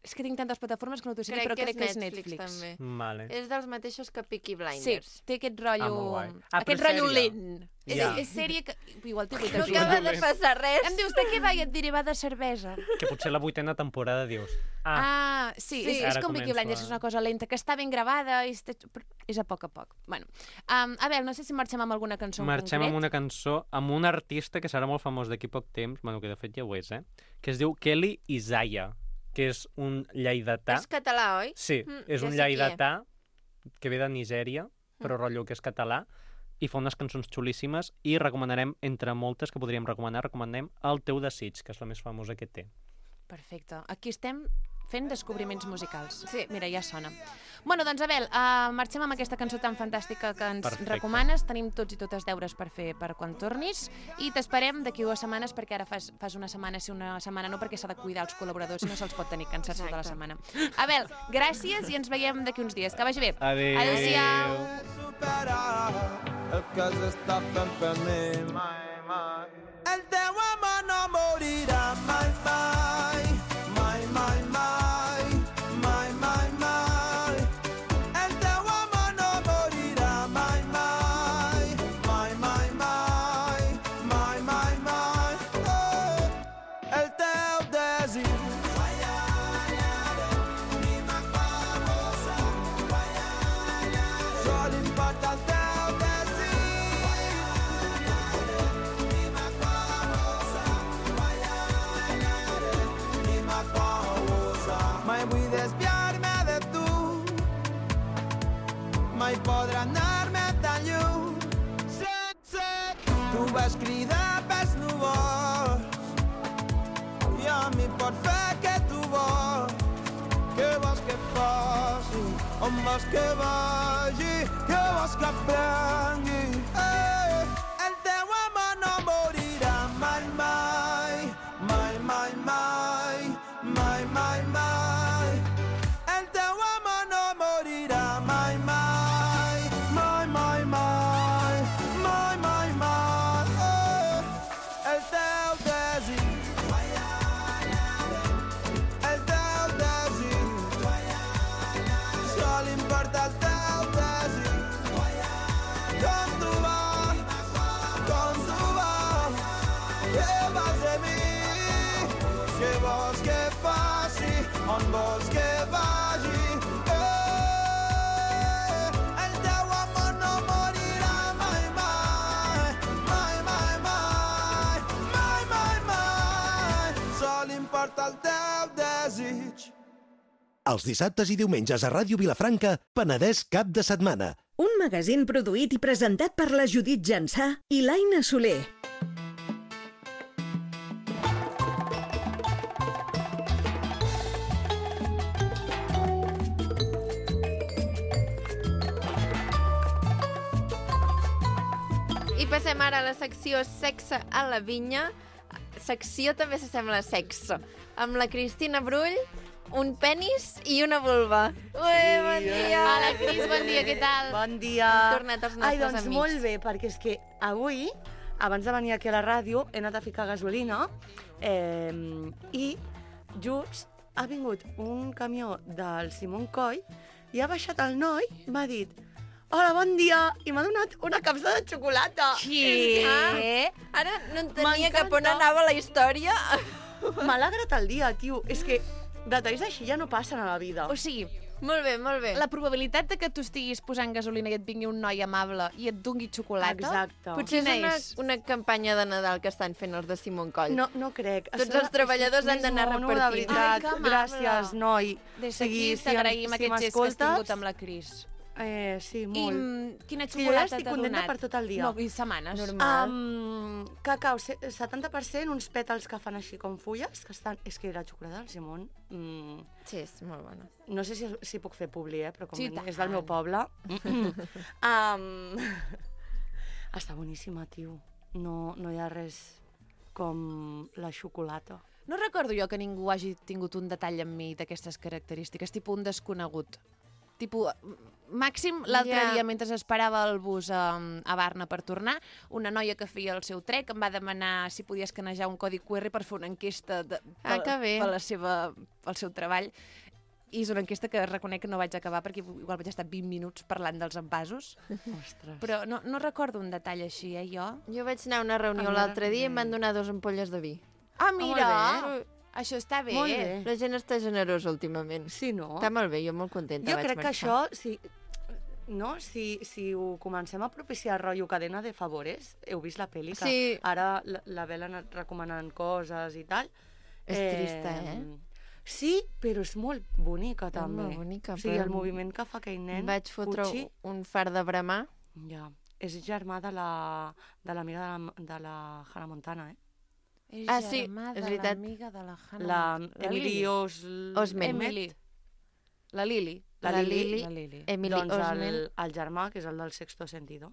és que tinc tantes plataformes que no t'ho sé dir, Crec però que crec és que és Netflix, Netflix. també. Vale. És dels mateixos que Peaky Sí, Blinders. té aquest rotllo... Ah, molt guai. Ah, aquest però rotllo sèrie. lent. És, Ja. és sèrie que... Igual té vuit No episodis. acaba de passar res. Em dius, de què va? I et diré, va de cervesa. Que potser la vuitena temporada dius... Ah, Ah, sí, Sí. és, és Ara com Peaky començo Blinders, a- és una cosa lenta, que està ben gravada, i està... però és a poc a poc. Bueno, um, a veure, no sé si marxem amb alguna cançó en marxem concret. amb una cançó amb un artista que serà molt famós d'aquí poc temps, bueno, que de fet ja ho és, eh? Que es diu Kelly Isaiah, que és un lleidatà. És català, oi? Sí, Mm, és ja un sé qui lleidatà que ve de Nigèria, però rotllo que és català, i fa unes cançons xulíssimes, i recomanarem, entre moltes que podríem recomanar, recomanem El teu desig, que és la més famosa que té. Perfecte. Aquí estem fent descobriments musicals. Sí. Mira, ja sona. Bueno, doncs, Abel, uh, marxem amb aquesta cançó tan fantàstica que ens Perfecte. recomanes. Tenim tots i totes deures per fer per quan tornis i t'esperem d'aquí dues setmanes perquè ara fas, fas una setmana sí, una setmana no, perquè s'ha de cuidar els col·laboradors i no se'ls pot tenir cansats tota la Exacte. setmana. Abel, gràcies i ens veiem d'aquí uns dies. Que vagi bé. Adéu. Adéu-siau. superar el que s'està fent per mi. Mai, mai. El teu amor no morirà mai, mai. Mai, mai, mai. Mai, mai, mai. El teu amor no morirà mai, mai. Mai, mai, mai. Mai, mai, mai. Oh. El teu desig. Jo vaig cridar pels núvols i a mi pot fer que tu vols. Què vols que faci? On vols que vagi? Què vols que aprengui? Eh, el teu amor no morirà mai, mai, mai, mai, mai, mai, mai, mai. El teu amor no morirà mai, mai, mai, mai, mai, mai, mai, mai. Eh, el teu desig, el teu desig, sol importa el teu desig. Com tu vas, com tu vas, què vas de mi? Què vols que faci? On vols que vagi? Eh, el teu amor no morirà mai, mai, mai, mai, mai, mai, mai, mai. Sol importa el teu desig. Els dissabtes i diumenges a Ràdio Vilafranca, Penedès cap de setmana. Un magazín produït i presentat per la Judit Jansà i l'Aina Soler. I passem ara a la secció Sexe a la vinya. Secció també s'assembla a sexe. Amb la Cristina Brull, un penis i una vulva. Ui, bon dia! Hola, Cris, bon dia, què tal? Bon dia. Hem tornat els nostres Ai, doncs amics. molt bé, perquè és que avui, abans de venir aquí a la ràdio, he anat a ficar gasolina eh, i just ha vingut un camió del Simon Coll i ha baixat el noi, m'ha dit hola, bon dia, i m'ha donat una capsa de xocolata. Què? Ah, ara no entenia cap on M'encanta. anava la història. M'ha alegrat el dia, tio. És que detalls així ja no passen a la vida. O sigui, Molt bé, molt bé. la probabilitat de que tu estiguis posant gasolina i et vingui un noi amable i et dongui xocolata... Exacte. Potser és Quina una, és? una campanya de Nadal que estan fent els de Simon Coll. No, no crec. Tots Això- els treballadors és han d'anar mono, repartint. De veritat, Ai, que amable. gràcies, noi. Des O sigui, d'aquí t'agraïm si aquest gest que has m'escoltes, tingut amb la Cris. Eh, sí, I molt. mm, quina És que jo ja xocolata estic t'ha contenta donat? per tot el dia. No, i setmanes. Normal. Um, cacau, se- setanta per cent, uns pètals que fan així com fulles, que estan... És que la xocolata del Simon... Mm, Sí, és molt bona. no sé si, si puc fer publi, eh, però com Sí, és del meu tant. poble... um, està boníssima, tio. No, no hi ha res com la xocolata. No recordo jo que ningú hagi tingut un detall amb mi d'aquestes característiques, tipus un desconegut. Tipo, màxim, l'altre Ja. dia, mentre esperava el bus a, a Barna per tornar, una noia que feia el seu trek em va demanar si podia escanejar un codi Q R per fer una enquesta de, Ah, pel, que bé. per la seva, pel seu treball. I és una enquesta que reconec que no vaig acabar perquè igual vaig estar vint minuts parlant dels envasos. Ostres. Però no, no recordo un detall així, eh, jo. Jo vaig anar a una reunió Ah, l'altre dia i em bé. van donar dos ampolles de vi. Ah, mira! molt Això està bé. Molt bé. La gent està generosa últimament. Sí, no? Està molt bé, jo molt contenta Jo vaig crec que marxar. això, si, no? si, si ho comencem a propiciar rotllo cadena de favores, heu vist la pel·li, que Sí. ara la, la Bel ha anat recomanant coses i tal. És trista, eh? Sí, però és molt bonica, també. molt bonica, O sigui, però el moviment que fa aquell nen, Em vaig fotre Pucci, un far de bramar. ja, és germà de la de l'amiga de, la, de la Hannah Montana, eh? És Ah, sí, germà és de veritat. l'amiga de la Hannah. La La Emily Lily. Os... Osment. Emily. La Lili. La La Lili. Lili. La Lili. Emily Doncs Osment. el, el germà, que és el del Sexto Sentido.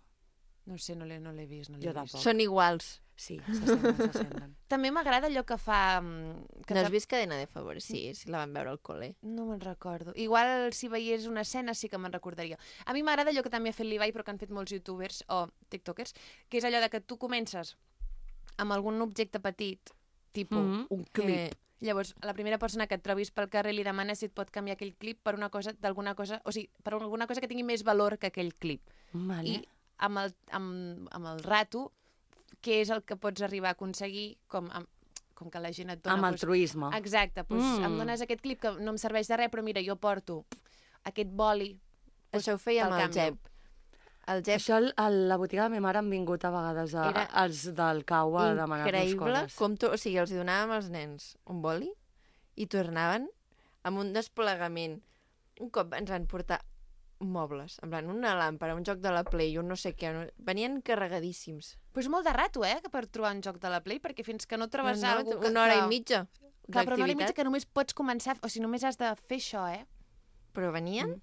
No sé, no l'he no l'he vist, no l'he Jo vist. tampoc. Són iguals. Sí, s'assemblen, s'assemblen. També m'agrada allò que fa... mm, Que No has ta- vist Cadena de Favores? Sí, sí la van veure al col·le. No me'n recordo. Igual si veiés una escena sí que me'n recordaria. A mi m'agrada allò que també ha fet l'Ibai, però que han fet molts youtubers o tiktokers, que és allò de que tu comences amb algun objecte petit, tipus Mhm. un Que- clip. Llavors, a la primera persona que et trobis pel carrer li demanes si et pot canviar aquell clip per una cosa, d'alguna cosa, o sigui, per alguna cosa que tingui més valor que aquell clip. Vale. I amb el, amb, amb el rato, què és el que pots arribar a aconseguir com, amb, com que la gent et dona... Amb doncs, altruisme. exacte, doncs Mm. em dones aquest clip que no em serveix de res, però mira, jo porto aquest boli. Això ho feia amb te'l el canvio. Jep. El Jep Això al- a la botiga de ma mare han vingut a vegades a, Era els del cau a demanar-nos increïble coses. com tu... O sigui, els hi donàvem als nens un boli i tornaven amb un desplegament. Un cop ens van portar mobles. En plan, una làmpara, un joc de la Play, un no sé què. No... Venien carregadíssims. Però és molt de rato, eh, per trobar un joc de la Play, perquè fins que no trobes no, no, algú que... una hora que... i mitja Clar, però una hora i mitja d'activitat. que només pots començar... O sigui, només has de fer això, eh? Però venien? Mm.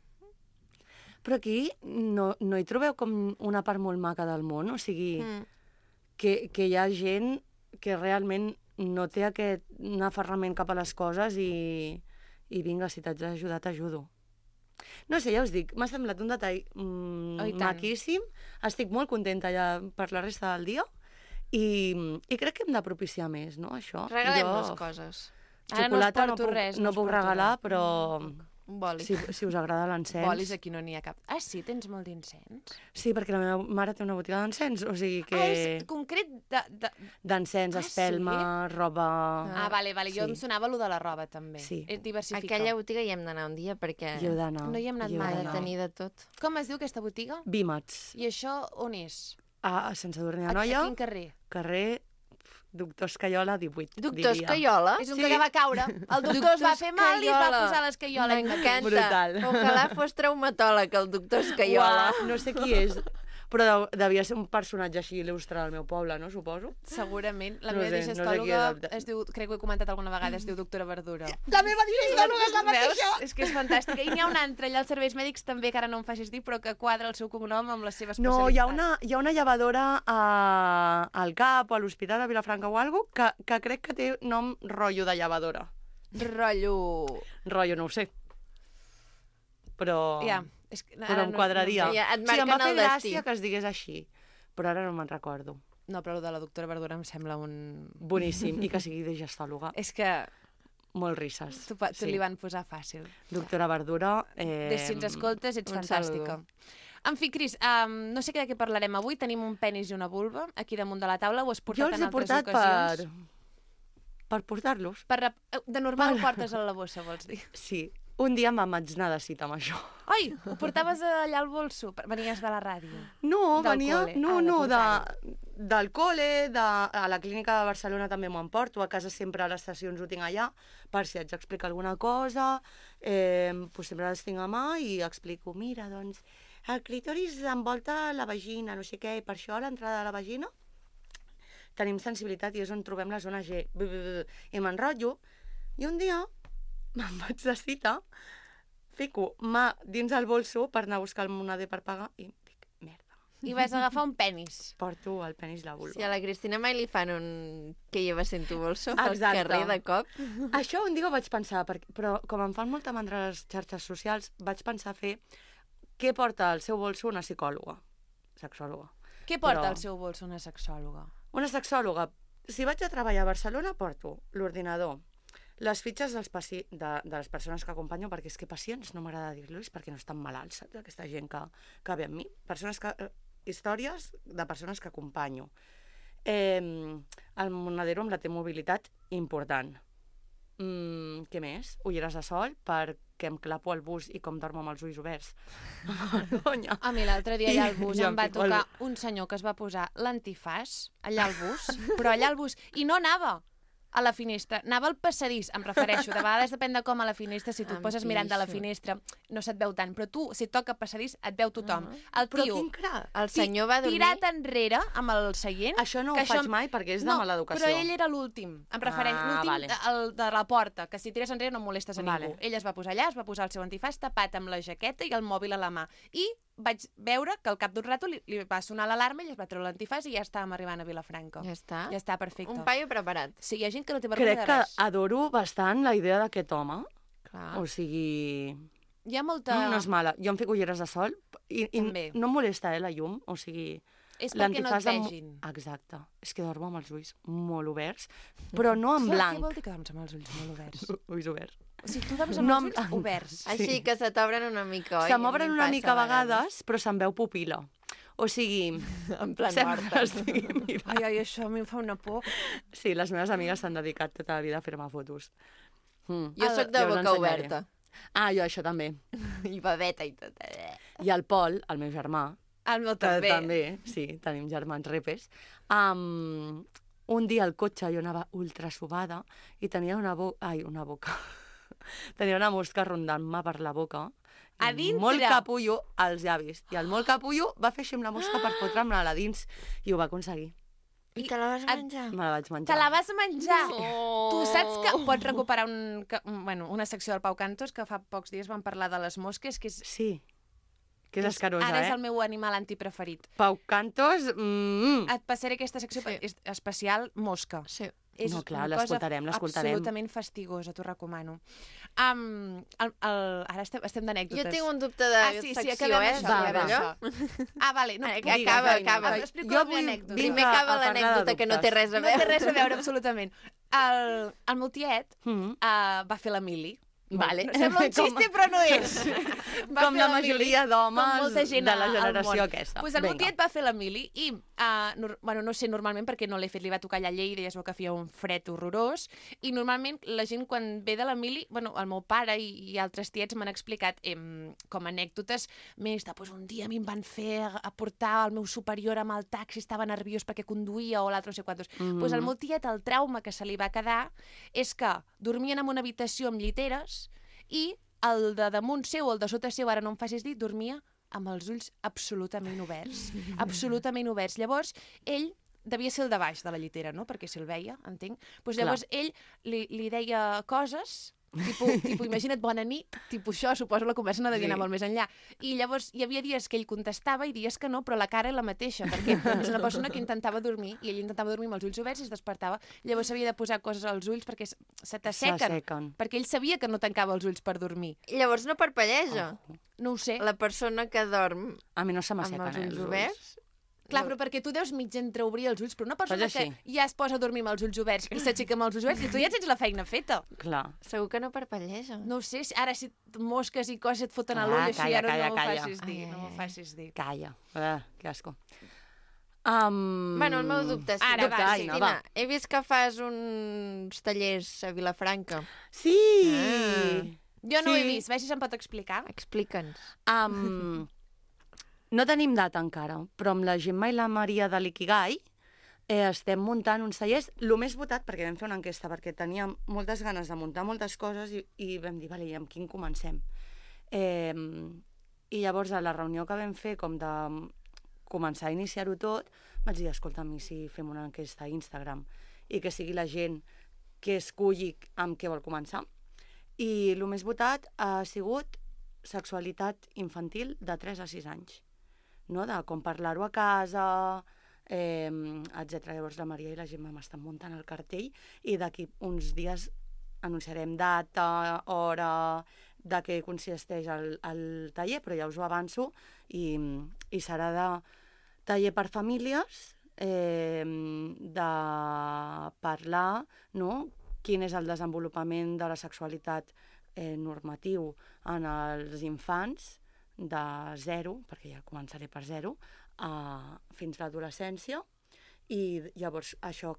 Però aquí no, no hi trobeu com una part molt maca del món? O sigui, Mm. que, que hi ha gent que realment no té aquest aferrament cap a les coses i, i vinga, si t'haig d'ajudar, t'ajudo. No sé, ja us dic, m'ha semblat un detall mm, Oh, i tant. maquíssim. Estic molt contenta ja per la resta del dia i, i crec que hem de propiciar més, no, això? Regalem-nos coses. Ara no us Xocolata no, porto puc, res, no no us puc porto regalar, res. però Un boli. si, si us agrada l'encens... Bolis aquí no n'hi ha cap. Ah, sí? Tens molt d'incens? Sí, perquè la meva mare té una botiga d'encens, o sigui que... Ah, és concret de... de... D'encens, Ah, espelma, roba... Ah, vale, vale. Jo Sí. em sonava lo de la roba, també. Sí. És diversificar. Aquella botiga hi hem d'anar un dia perquè Hi heu d'anar. No hi hem anat hi heu mai, ha de d'anar. tenir de tot. Com es diu aquesta botiga? Vímets. I això on és? A, a Sant Sadurní A, a d'Anoia, quin carrer? carrer Doctor Escaiola, divuit, Doctor diria. Escaiola? És un Sí. que va caure. El doctor es va fer mal i es va Escaiola. posar l'escaiola. ell mateix. M'encanta. Brutal. Ojalà fos traumatòleg, el doctor Escaiola. Uah, no sé qui és, però de, devia ser un personatge així il·lustre del meu poble, no? Suposo. Segurament. La No meva sé, no sé qui digestòloga és el- es diu, crec que ho he comentat alguna vegada, es diu doctora Verdura. La meva digestòloga és la Veus? És que és fantàstica. I n'hi ha una altra allà als serveis mèdics també, que ara no em facis dir, però que quadra el seu cognom amb la seva especialitat. No, hi ha una, hi ha una llevadora a, al CAP o a l'Hospital de Vilafranca o alguna cosa que, que crec que té nom rotllo de llevadora. Rotllo... Rotllo, no ho sé. Però, Ja, és que però em quadraria. no- Ja et o sigui, em va marquen fer el destí. gràcia que es digués així, però ara no me'n recordo. No, però el de la doctora Verdura em sembla un... Boníssim, i que sigui digestòloga. És que Molt risses. tu, tu li van posar fàcil. Doctora Verdura... Eh... Des, si ens escoltes, ets un fantàstica. saludo. En fi, Cris, um, no sé de què parlarem avui. Tenim un penis i una vulva aquí damunt de la taula. Ho has portat Jo els en he altres portat ocasions. per... per portar-los. Per... rep- De normal ho portes a la bossa, vols dir? Sí. Un dia me'n vaig anar de cita amb això. Ai, ho portaves allà al bolso? Per- Venies de la ràdio. No, Del venia... col·le. No, Ah, de no, de, portar-ho. del col·le, de, a la clínica de Barcelona també m'ho emporto, a casa sempre a les sessions ho tinc allà, per si haig d'explicar alguna cosa, eh, doncs sempre les tinc a mà i explico, mira, doncs, el clítoris envolta la vagina, no sé què, i per això a l'entrada de la vagina tenim sensibilitat i és on trobem la zona G. B, b, b, I m'enrotllo, i un dia me'n vaig de cita, fico mà dins el bolso per anar a buscar el moneder per pagar i dic, merda, I vas agafar un penis. porto el penis la vulva. Si a la Cristina mai li fan un que llevas en tu bolso al Exacte. carrer de cop. Això un dia ho vaig pensar, perquè, però com em fan molta mandra les xarxes socials, vaig pensar fer què porta al seu bolso una psicòloga, sexòloga. Què porta Però- al seu bolso una sexòloga? Una sexòloga, si vaig a treballar a Barcelona, porto l'ordinador, les fitxes dels paci... de, de les persones que acompanyo, perquè és que pacients no m'agrada dir-los perquè no estan malalts, saps? Aquesta gent que, que ve amb mi. Persones que, eh, històries de persones que acompanyo. Eh, el monedero amb la T-mobilitat, important. Mm, què més? Ulleres de sol, perquè em clapo al bus i com dormo amb els ulls oberts. Vergonya. A mi l'altre dia allà al bus Jo em em va fico al- tocar un senyor que es va posar l'antifàs allà al bus, però allà al bus, i no anava a la finestra, anava al passadís, em refereixo, de vegades depèn de com a la finestra, si tu et Em poses mirant de la pixo. finestra no se't veu tant, però tu, si et toca passadís, et veu tothom. El Però tio, quin crac. El senyor va dormir... tirat enrere amb el seient... Això no que ho faig mai perquè és de mala educació. però ell era l'últim, em refereix, Ah, l'últim vale. el de la porta, que si tires enrere no molestes a Vale. ningú. Ell es va posar allà, es va posar el seu antifàs tapat amb la jaqueta i el mòbil a la mà. I vaig veure que al cap d'un rato li, li va sonar l'alarma i es va treure l'antifàs i ja estàvem arribant a Vilafranca. Ja està. Ja està, perfecte. Un paio preparat. Sí, hi ha gent que no té vergonya Crec de que res. adoro bastant la idea d'aquest home. Clar. O sigui, Hi ha molta... no, no és mala. Jo em fico ulleres de sol i, i També. no em molesta, eh, la llum. O sigui, És perquè no et l'antifàs em- vegin. Exacte. És que dormo amb els ulls molt oberts, però no en Clar, Què blanc. vol dir que dorms amb els ulls molt oberts? Ulls oberts. O sigui, tu dorms amb No els en ulls blanc. oberts. Així que se t'obren una mica, oi? Se A m'obren mi em una passa mica a vegades, però se'n veu pupil·la. O sigui, En plan sembla morta. que estigui mirant. Ai, ai, això a mi em fa una por. Sí, les meves amigues s'han dedicat tota la vida a fer-me fotos. Mm. Jo sóc de Ja us boca ensenyaré. oberta. Ah, jo això també. I babeta i tot. I el Pol, el meu germà, El meu que també. també, sí, tenim germans repes, um, un dia al cotxe jo anava ultra subada i tenia una boca... Ai, una boca. Tenia una mosca rondant-me per la boca A dintre? Molt capullo als llavis. I el molt capullo va fer així amb la mosca per fotre'm-la a dins i ho va aconseguir. I te la vas menjar? Me la vaig menjar. Te la vas menjar? No. Tu saps que pots recuperar un, que, bueno, una secció del Pau Cantos que fa pocs dies van parlar de les mosques, que és... Sí. Que és escarosa, Ara eh? és el meu animal antipreferit. Pau Cantos... Mm. Et passaré aquesta secció Sí. és especial mosca. Sí. És No, clar, una cosa l'escoltarem, l'escoltarem. absolutament fastigosa, t'ho recomano. Um, el, el, ara estem, estem d'anècdotes. Jo tinc un dubte de ah, sí, secció, sí, acabem eh? això, Va, acabem va. això. Ah, vale. No, Eh, puc- acaba, Digues, acaba. Aina. Explico Jo la meva vull- anècdota. vinc Primer a- acaba a parlar de l'anècdota, que no té dubtes. res a No té veure. res a veure, absolutament. El, el meu tiet Mm. uh, va fer la mili. Vale. No, sembla un xiste, però no és. Va Com fer la mili, majoria d'homes com molta gent de la al generació món. aquesta. Pues el meu Vinga. tiet va fer la mili i, uh, nor bueno, no sé normalment perquè no l'he fet, li va tocar allà a Lleida i es veu que feia un fred horrorós, i normalment la gent quan ve de la mili, bueno, el meu pare i, i altres tiets m'han explicat em, com a anècdotes més de, pues, un dia a mi em van fer a portar el meu superior amb el taxi, estava nerviós perquè conduïa o l'altre no sé quantos. Mm. Pues el meu tiet, el trauma que se li va quedar és que dormien en una habitació amb lliteres i el de damunt seu o el de sota seu, ara no em facis dir, dormia amb els ulls absolutament oberts. absolutament oberts. Llavors, ell devia ser el de baix de la llitera, no? Perquè se'l veia, entenc. Pues llavors Clar. ell li, li deia coses, tipo, tipo, imagina't, bona nit, tipus això, suposo la conversa no devia Sí. anar molt més enllà. I llavors hi havia dies que ell contestava i dies que no, però la cara era la mateixa, perquè és una persona que intentava dormir i ell intentava dormir amb els ulls oberts i es despertava. Llavors s'havia de posar coses als ulls perquè s- se t'assequen. S'assequen. Perquè ell sabia que no tancava els ulls per dormir. Llavors no parpelleja. No ho sé. La persona que dorm A mi no se amb m'assequen, els eh, ulls els ulls. oberts... Clar, però perquè tu deus mig entreobrir els ulls, però una persona Pues que així. ja es posa a dormir amb els ulls oberts i s'aixeca amb els ulls oberts, i tu ja tens la feina feta. Clar. Segur que no parpelleja. No ho sé, si- ara si mosques i coses et foten a Ah, l'ull, així calla, ara calla, no m'ho calla. facis dir, Ai, no ai, m'ho ai. facis dir. Calla. Ah, que asco. Um... Bueno, el meu dubte és... Ara, dubte, va, Cristina, Aina, va. he vist que fas uns tallers a Vilafranca. Sí! Ah. Jo no ho he Sí. vist, veig si se'm pot explicar. Explica'ns. Um, no tenim data encara, però amb la Gemma i la Maria de l'Ikigai eh, estem muntant uns tallers. El més votat, perquè vam fer una enquesta, perquè teníem moltes ganes de muntar moltes coses i, i vam dir, vale, i amb quin comencem? Eh, I llavors, a la reunió que vam fer, com de començar a iniciar-ho tot, vaig dir, escolta'm, i si fem una enquesta a Instagram i que sigui la gent que esculli amb què vol començar? I el més votat ha sigut sexualitat infantil de tres a sis anys, no? De com parlar-ho a casa, eh, etcètera. Llavors la Maria i la Gemma m'estan muntant el cartell i d'aquí uns dies anunciarem data, hora, de què consisteix el, el taller, però ja us ho avanço, i, i serà de taller per famílies, eh, de parlar, no?, quin és el desenvolupament de la sexualitat eh, normatiu en els infants de zero, perquè ja començaré per zero, a, fins a l'adolescència, i llavors això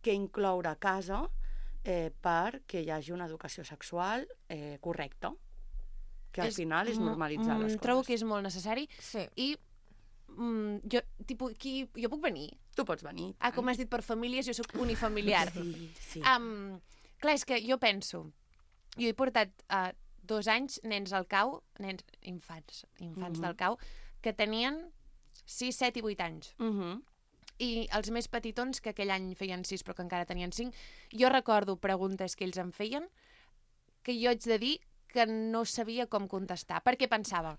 què incloure a casa eh, perquè hi hagi una educació sexual eh, correcta, que al És final és mo- normalitzar mm, les coses. Trobo que és molt necessari Sí. i mm, jo, tipus, qui, jo puc venir? Tu pots venir. Ah, com has dit, per famílies, jo sóc unifamiliar. Sí, sí. Um, clar, és que jo penso, jo he portat uh, dos anys nens al cau, nens, infants, infants Mhm. del cau, que tenien sis, set i vuit anys. Uh -huh. I els més petitons, que aquell any feien sis però que encara tenien cinc, jo recordo preguntes que ells em feien que jo haig de dir que no sabia com contestar, perquè pensava,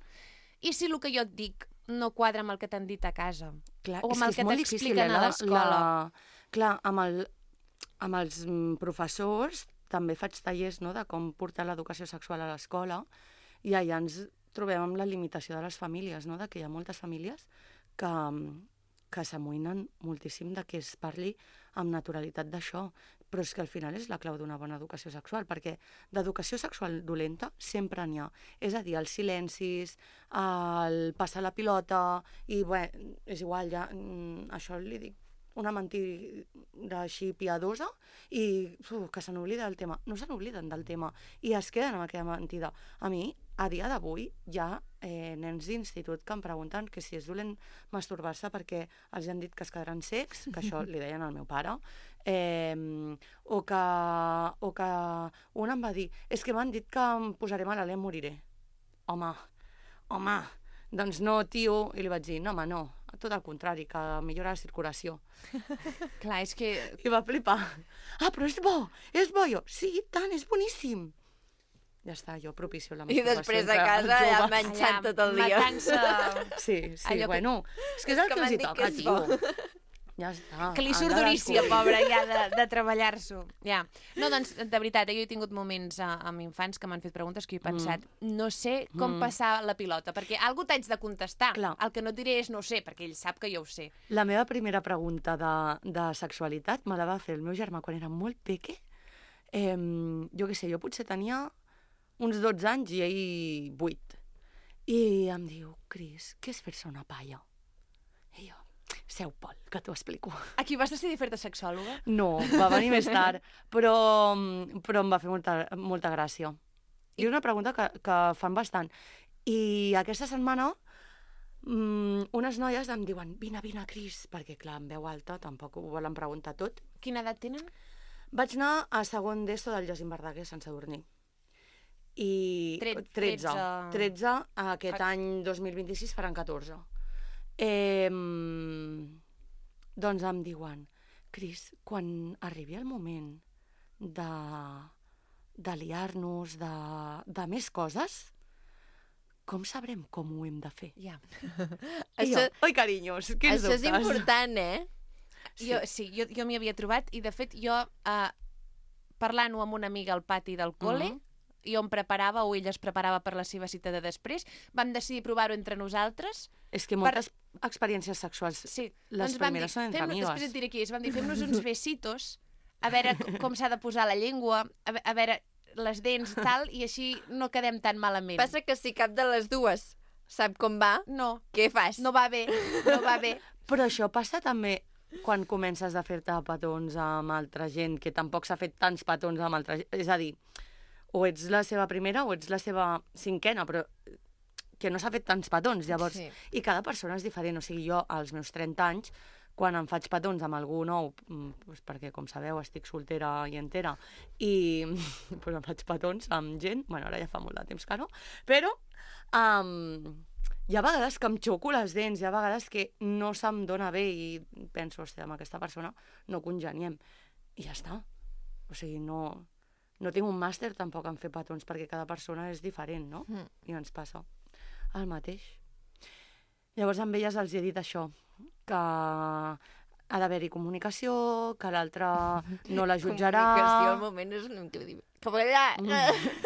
i si el que jo et dic no quadra amb el que t'han dit a casa? Clar, O amb és el és que molt difícil, t'expliquen eh, a la- l'escola. la- Clar, amb, el, amb els mm, professors també faig tallers, no?, de com portar l'educació sexual a l'escola, i allà ens trobem amb la limitació de les famílies, no?, de que hi ha moltes famílies que, mm, que s'amoïnen moltíssim de que es parli amb naturalitat d'això, però és que al final és la clau d'una bona educació sexual, perquè d'educació sexual dolenta sempre n'hi ha. És a dir, els silencis, el passar la pilota, i bé, és igual, ja, mm, això li dic una mentida així piadosa, i uf, que se n'oblida del tema. No se n'obliden del tema, i es queden amb aquella mentida. A mi, a dia d'avui, hi ha eh, nens d'institut que em pregunten que si és dolent masturbar-se perquè els han dit que es quedaran secs, que això li deien al meu pare, eh, o, que, o que un em va dir, és que m'han dit que em posaré malalt i em moriré. Home, home, doncs no, tio. I li vaig dir, no, home, no, tot el contrari, que millora la circulació. Clar, és que... I va flipar. Ah, però és bo, és bo. Jo, sí, i tant, és boníssim. Ja està, jo propicio la I masturbació. després a casa ja menjant tot el dia. Matant-se... Sí, sí, Allò que- bueno, és que és el que que els m'han hi dit toca, que és tio. bo. Ja està. Que li han surt de durícia, descobrir. pobra, ja, de, de treballar-s'ho. Ja. No, doncs, de veritat, eh, jo he tingut moments a, amb infants que m'han fet preguntes que jo he pensat, mm. no sé com Mm. passar la pilota, perquè algú t'haig de contestar. Clar. El que no et diré és no sé, perquè ell sap que jo ho sé. La meva primera pregunta de, de sexualitat me la va fer el meu germà quan era molt peque. Eh, jo què sé, jo potser tenia uns dotze anys i ell vuit. I em diu, Cris, què és fer-se una palla? I jo, seu, Pol, que t'ho explico. Aquí vas decidir fer-te sexòloga? No, va venir més tard, però, però em va fer molta, molta gràcia. I és una pregunta que, que fan bastant. I aquesta setmana mm, unes noies em diuen, vine, vine, Cris, perquè clar, en veu alta tampoc ho volen preguntar tot. Quina edat tenen? Vaig anar a segon d'ESO del Jacint Verdaguer, Sant Sadurní. I Tre- tretze. tretze. tretze, aquest Ah. any dos mil vint-i-sis faran catorze. Eh, doncs em diuen, Cris, quan arribi el moment de, de liar-nos, de, de més coses, com sabrem com ho hem de fer? Ja. I Això, jo, oi, carinyos, quins això és dubtes? important, eh? Jo, sí, jo, jo m'hi havia trobat i, de fet, jo, eh, parlant-ho amb una amiga al pati del col·le, Mhm. jo em preparava, o ella es preparava per la seva cita de després, vam decidir provar-ho entre nosaltres. És que moltes experiències sexuals, Sí. les doncs vam primeres dir, són entre fem- amigues. Després et diré qui és. Vam dir, fem-nos uns besitos, a veure com, com s'ha de posar la llengua, a, ve- a veure les dents, tal, i així no quedem tan malament. Passa que si cap de les dues sap com va, No, què fas? no va bé, no va bé. Però això passa també quan comences a fer-te petons amb altra gent, que tampoc s'ha fet tants petons amb altra gent. És a dir, o ets la seva primera o ets la seva cinquena, però que no s'ha fet tants petons, llavors. Sí. I cada persona és diferent. O sigui, jo, als meus trenta anys, quan em faig petons amb algú nou, mm, doncs perquè, com sabeu, estic soltera i entera, i doncs em faig petons amb gent, bueno, ara ja fa molt de temps que no, però um, hi ha vegades que em xoco les dents, hi ha vegades que no se'm dona bé i penso, hòstia, amb aquesta persona no congeniem. I ja està. O sigui, no, no tinc un màster tampoc en fer petons, perquè cada persona és diferent, no? Mm. I ens passa el mateix. Llavors amb elles els he dit això, que ha d'haver-hi comunicació, que l'altre no la jutjarà. Comunicació al moment és increïble. Com allà... Mm.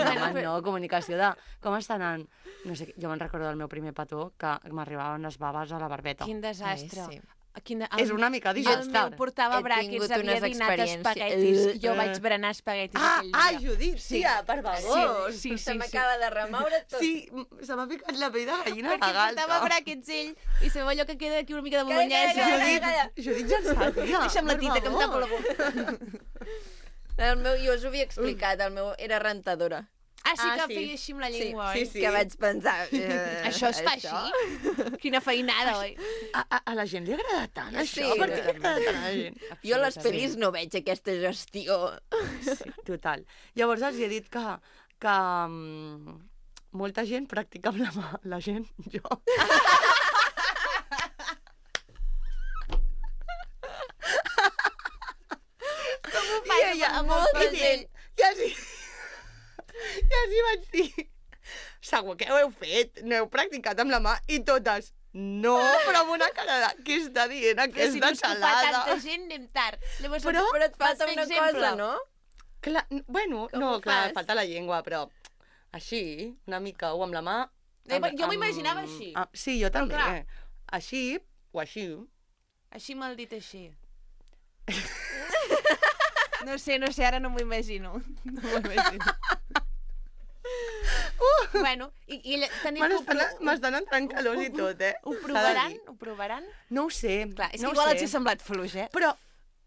No, home, no, comunicació de com està anant. No sé, jo me'n recordo del meu primer petó que m'arribaven les baves a la barbeta. Quin desastre. Ai, sí. Quin de... És una mica El disastre. meu portava He bràquets, tingut havia unes dinat experiències. espaguetis. Jo Eh. vaig berenar espaguetis Ah, aquell ah, dia. Judit, Sí. tia, per favor. Sí, sí, Se sí. m'acaba de remoure tot. Sí, m- se m'ha ficat la pell de gallina a Perquè la galta. portava bràquets ell i sabeu allò que queda aquí una mica de Calla, calla, bolognesa. calla, calla. Judit ja en sap, tia. Deixa'm la per tita, que em tapo la favor. boca. El meu, jo us ho havia explicat, el meu era rentadora. Ah, sí Ah, que sí. feia així amb la Sí, llengua, sí, oi? sí. Que vaig pensar... Eh, Això es fa així? Quina feinada, oi? A, a, a la gent li agrada tant, Sí, això? Per què li totalment. agrada tant a la gent? Jo a les pel·lis no veig aquesta gestió. Sí, total. Llavors els he dit que, que um, molta gent practica amb la mà. La gent, jo. Com ho I fas ella, amb molta i ell, gent? I així, i així vaig dir, segur que ho heu fet, no heu practicat amb la mà, i totes, no, però amb una cara de, què està dient Però si aquesta no és que ho fa xalada? tanta gent, anem tard. Llavors, Però- Però et falta vas fer una exemple. cosa, no? Clar, n- bueno, Com no, ho clar, fas? falta la llengua, però així, una mica, o amb la mà... Eh, amb- jo m'ho amb- imaginava així. Ah, sí, jo també. clar. Així, o així. Així me'l dit així. No sé, no sé, ara no m'ho imagino. No m'ho imagino. Uh! Bueno, i, i ella, teniu Bueno, que ho, estan- m'estan entrant calors i tot, eh? ho S'ha de provaran? dir. Ho provaran? No ho sé, Clar, és no que ho igual sé. els ha semblat fluix, eh? Però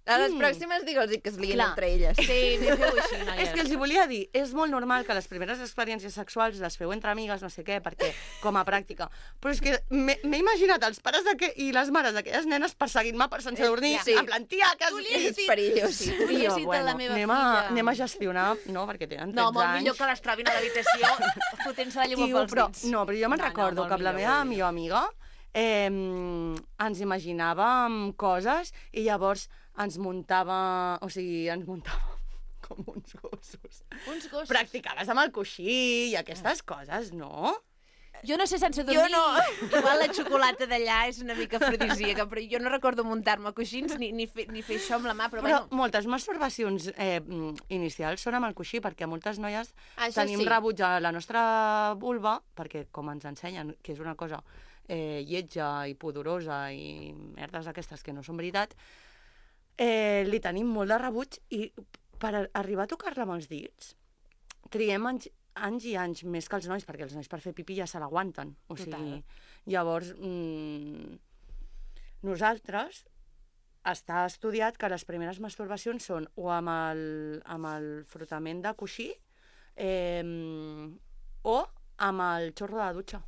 A les Mm. pròximes digue'ls que es liguin Clar. entre elles. Sí, feu així, noies. És que els hi volia dir, és molt normal que les primeres experiències sexuals les feu entre amigues, no sé què, perquè com a pràctica. Però és que m'he m'he imaginat els pares que, i les mares d'aquelles nenes perseguint-me per sense dormir, Sí. en plan, tia, que... Tu li has És dit- perillós. Sí, tu li has dit a la meva anem, a, filla. anem a gestionar, no, perquè tenen tretze No, molt anys. millor que les trobin a l'habitació fotent-se la llengua Tio, pels però, dits. no, però jo me'n No, no, recordo molt que amb la millor, meva molt millor amiga eh, ens imaginàvem coses i llavors ens muntava, o sigui, ens muntava com uns gossos. Uns gossos. Practicaves amb el coixí i aquestes coses, no? Jo no sé sense dormir. Igual la xocolata d'allà és una mica afrodisíaca, però jo no recordo muntar-me coixins ni, ni, fer, ni fer això amb la mà, però, Però bueno... moltes masturbacions eh, inicials són amb el coixí, perquè moltes noies Això tenim sí. rebuig a la nostra vulva, perquè com ens ensenyen que és una cosa eh, lletja i pudorosa i merdes aquestes que no són veritat, eh, li tenim molt de rebuig i per a- arribar a tocar-la amb els dits triem anys, anys i anys més que els nois, perquè els nois per fer pipí ja se l'aguanten. O sigui, Total. llavors, mm, nosaltres està estudiat que les primeres masturbacions són o amb el, amb el frotament de coixí eh, o amb el xorro de la dutxa.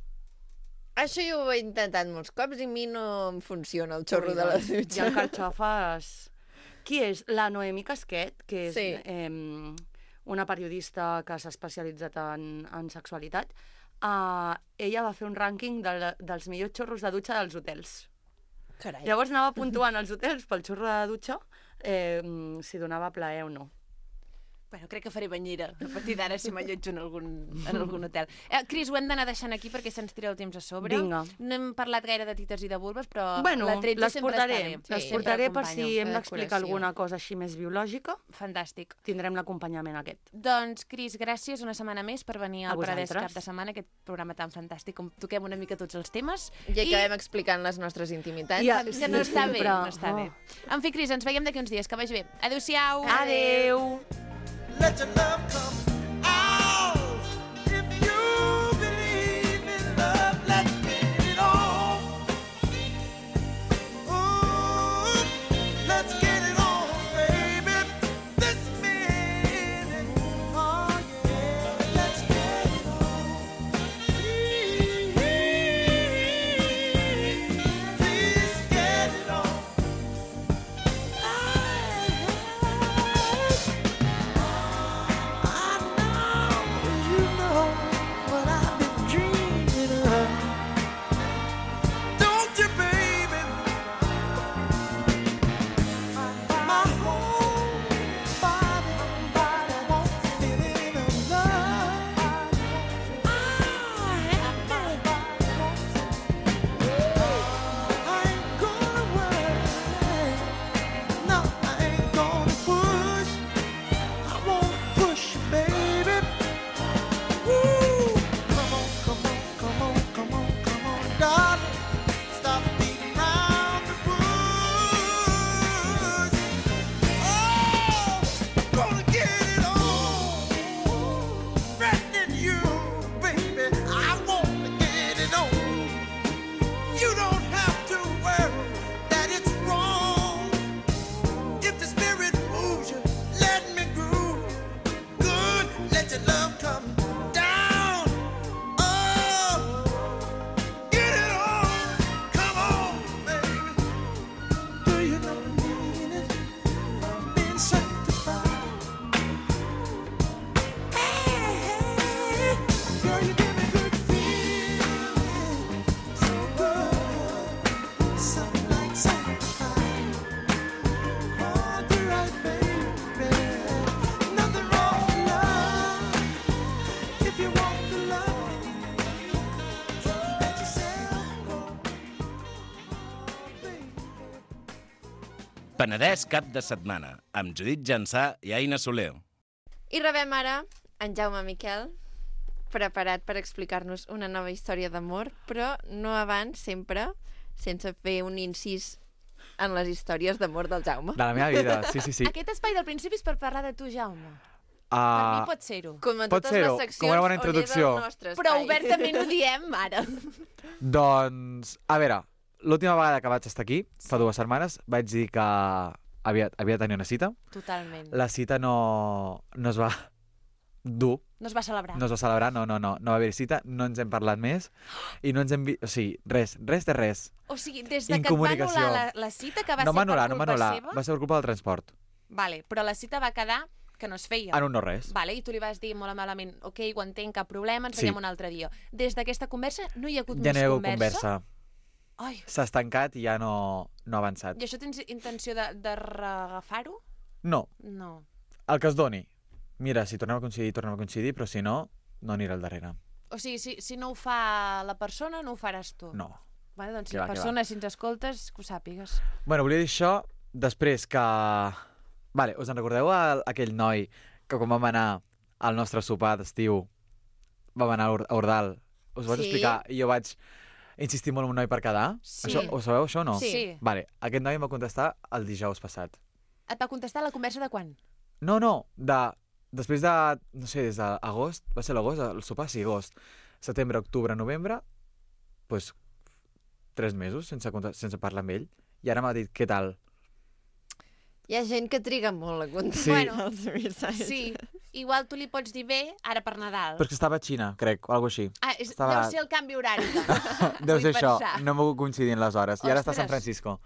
Això jo ho he intentat molts cops i a mi no em funciona el xorro de la Hi dutxa. ha carxofes... Qui és? La Noemi Casquet, que és Sí. eh, una periodista que s'ha especialitzat en, en sexualitat. Uh, ella va fer un rànquing de, la- dels millors xorros de dutxa dels hotels. Carai. Llavors anava puntuant els hotels pel xorro de dutxa eh, si donava plaer o no. Bueno, crec que faré banyera a partir d'ara si m'allotjo en algun, en algun hotel. Eh, Cris, ho hem d'anar deixant aquí perquè se'ns tira el temps a sobre. Vinga. No hem parlat gaire de tites i de vulves, però Bueno, la tretze les sempre portaré, està bé. les Sí, portaré sempre per si acompanyo. hem la d'explicar decoració. alguna cosa així més biològica. Fantàstic. Tindrem l'acompanyament aquest. Doncs, Cris, gràcies una setmana més per venir A al Paradès vosaltres. cap de setmana, aquest programa tan fantàstic on toquem una mica tots els temes. I acabem explicant les nostres intimitats. Ja, Que sí, no està bé, sempre. no està Oh. bé. En fi, Cris, ens veiem d'aquí uns dies. Que vagi bé. Adéu-siau. Adeu! Let your love come out. If you believe in love, let's get it on. Ooh, let's get it on, baby. This minute, oh yeah, let's get it on. Please, please get it on. No, I ain't gonna push. I won't push, baby. Woo! Come on, come on, come on, come on, come on, darling. Stop beating around the bush. Oh, gonna get it on. Threatening you, baby. I wanna get it on. You don't have to worry that it's wrong. If the spirit moves you, let me groove. Good, let your love come down. Oh, get it on. Come on, baby. Do you know the meaning of being sanctified? Hey, hey, girl, you give me good feeling. So good, something like sanctified. Oh, do right, baby. Nothing wrong with love. If you want to love me, let yourself go. Oh, baby. Penedès cap de setmana, amb Judit Jansà i Aina Soler. I rebem ara en Jaume Miquel, preparat per explicar-nos una nova història d'amor, però no abans, sempre, sense fer un incís en les històries d'amor del Jaume. De la meva vida, sí, sí, sí. Aquest espai del principi és per parlar de tu, Jaume. Per Uh, mi pot ser-ho. Com en Pot totes ser-ho, les seccions com una bona on és introducció. el nostre Però espai. obertament ho diem ara. doncs, a veure, l'última vegada que vaig estar aquí, fa dues setmanes, vaig dir que havia, havia de tenir una cita. Totalment. La cita no, no es va dur. No es va celebrar. No es va celebrar, no, no, no. No va haver cita, no ens hem parlat més i no ens hem vist... O sigui, res, res de res. O sigui, des de que et va anul·lar la, la cita, que va no ser anul·lar, per no culpa anul·lar. seva... Va ser per culpa del transport. Vale, però la cita va quedar que no es feia. En un no res. Vale, i tu li vas dir molt malament, ok, ho entenc, cap problema, ens Sí. veiem un altre dia. Des d'aquesta conversa no hi ha hagut Ja més no hi ha hagut conversa? conversa. Ai. S'ha estancat i ja no, no ha avançat. I això tens intenció de, de reagafar-ho? No, No. el que es doni. Mira, si tornem a coincidir, tornem a coincidir, però si no, no anirà al darrere. O sigui, si, si no ho fa la persona, no ho faràs tu. No. Vale, doncs Que si va, la que persona, si ens escoltes, que ho sàpigues. Bueno, volia dir això després que... Vale, us en recordeu el, aquell noi que quan vam anar al nostre sopar d'estiu vam anar a Ur- a Ordal? Us ho vaig Sí. explicar i jo vaig insistir molt en un noi per quedar? Sí. Això, ho sabeu, això o no? Sí. Sí. Vale, aquest noi em va contestar el dijous passat. Et va contestar la conversa de quan? No, no, de... Després de, no sé, des d'agost, va ser l'agost, el sopar, sí, agost, setembre, octubre, novembre, doncs tres mesos sense, conta- sense parlar amb ell. I ara m'ha dit, què tal? Hi ha gent que triga molt a contestar Sí. bueno, els missatges. Sí, igual tu li pots dir bé ara per Nadal. Però és que estava a Xina, crec, o alguna cosa així. Ah, és, estava- deu ser el canvi horari. Deu Vull ser això, pensar. no m'ho coincidint les hores. I ara està a San Ostres. Francisco.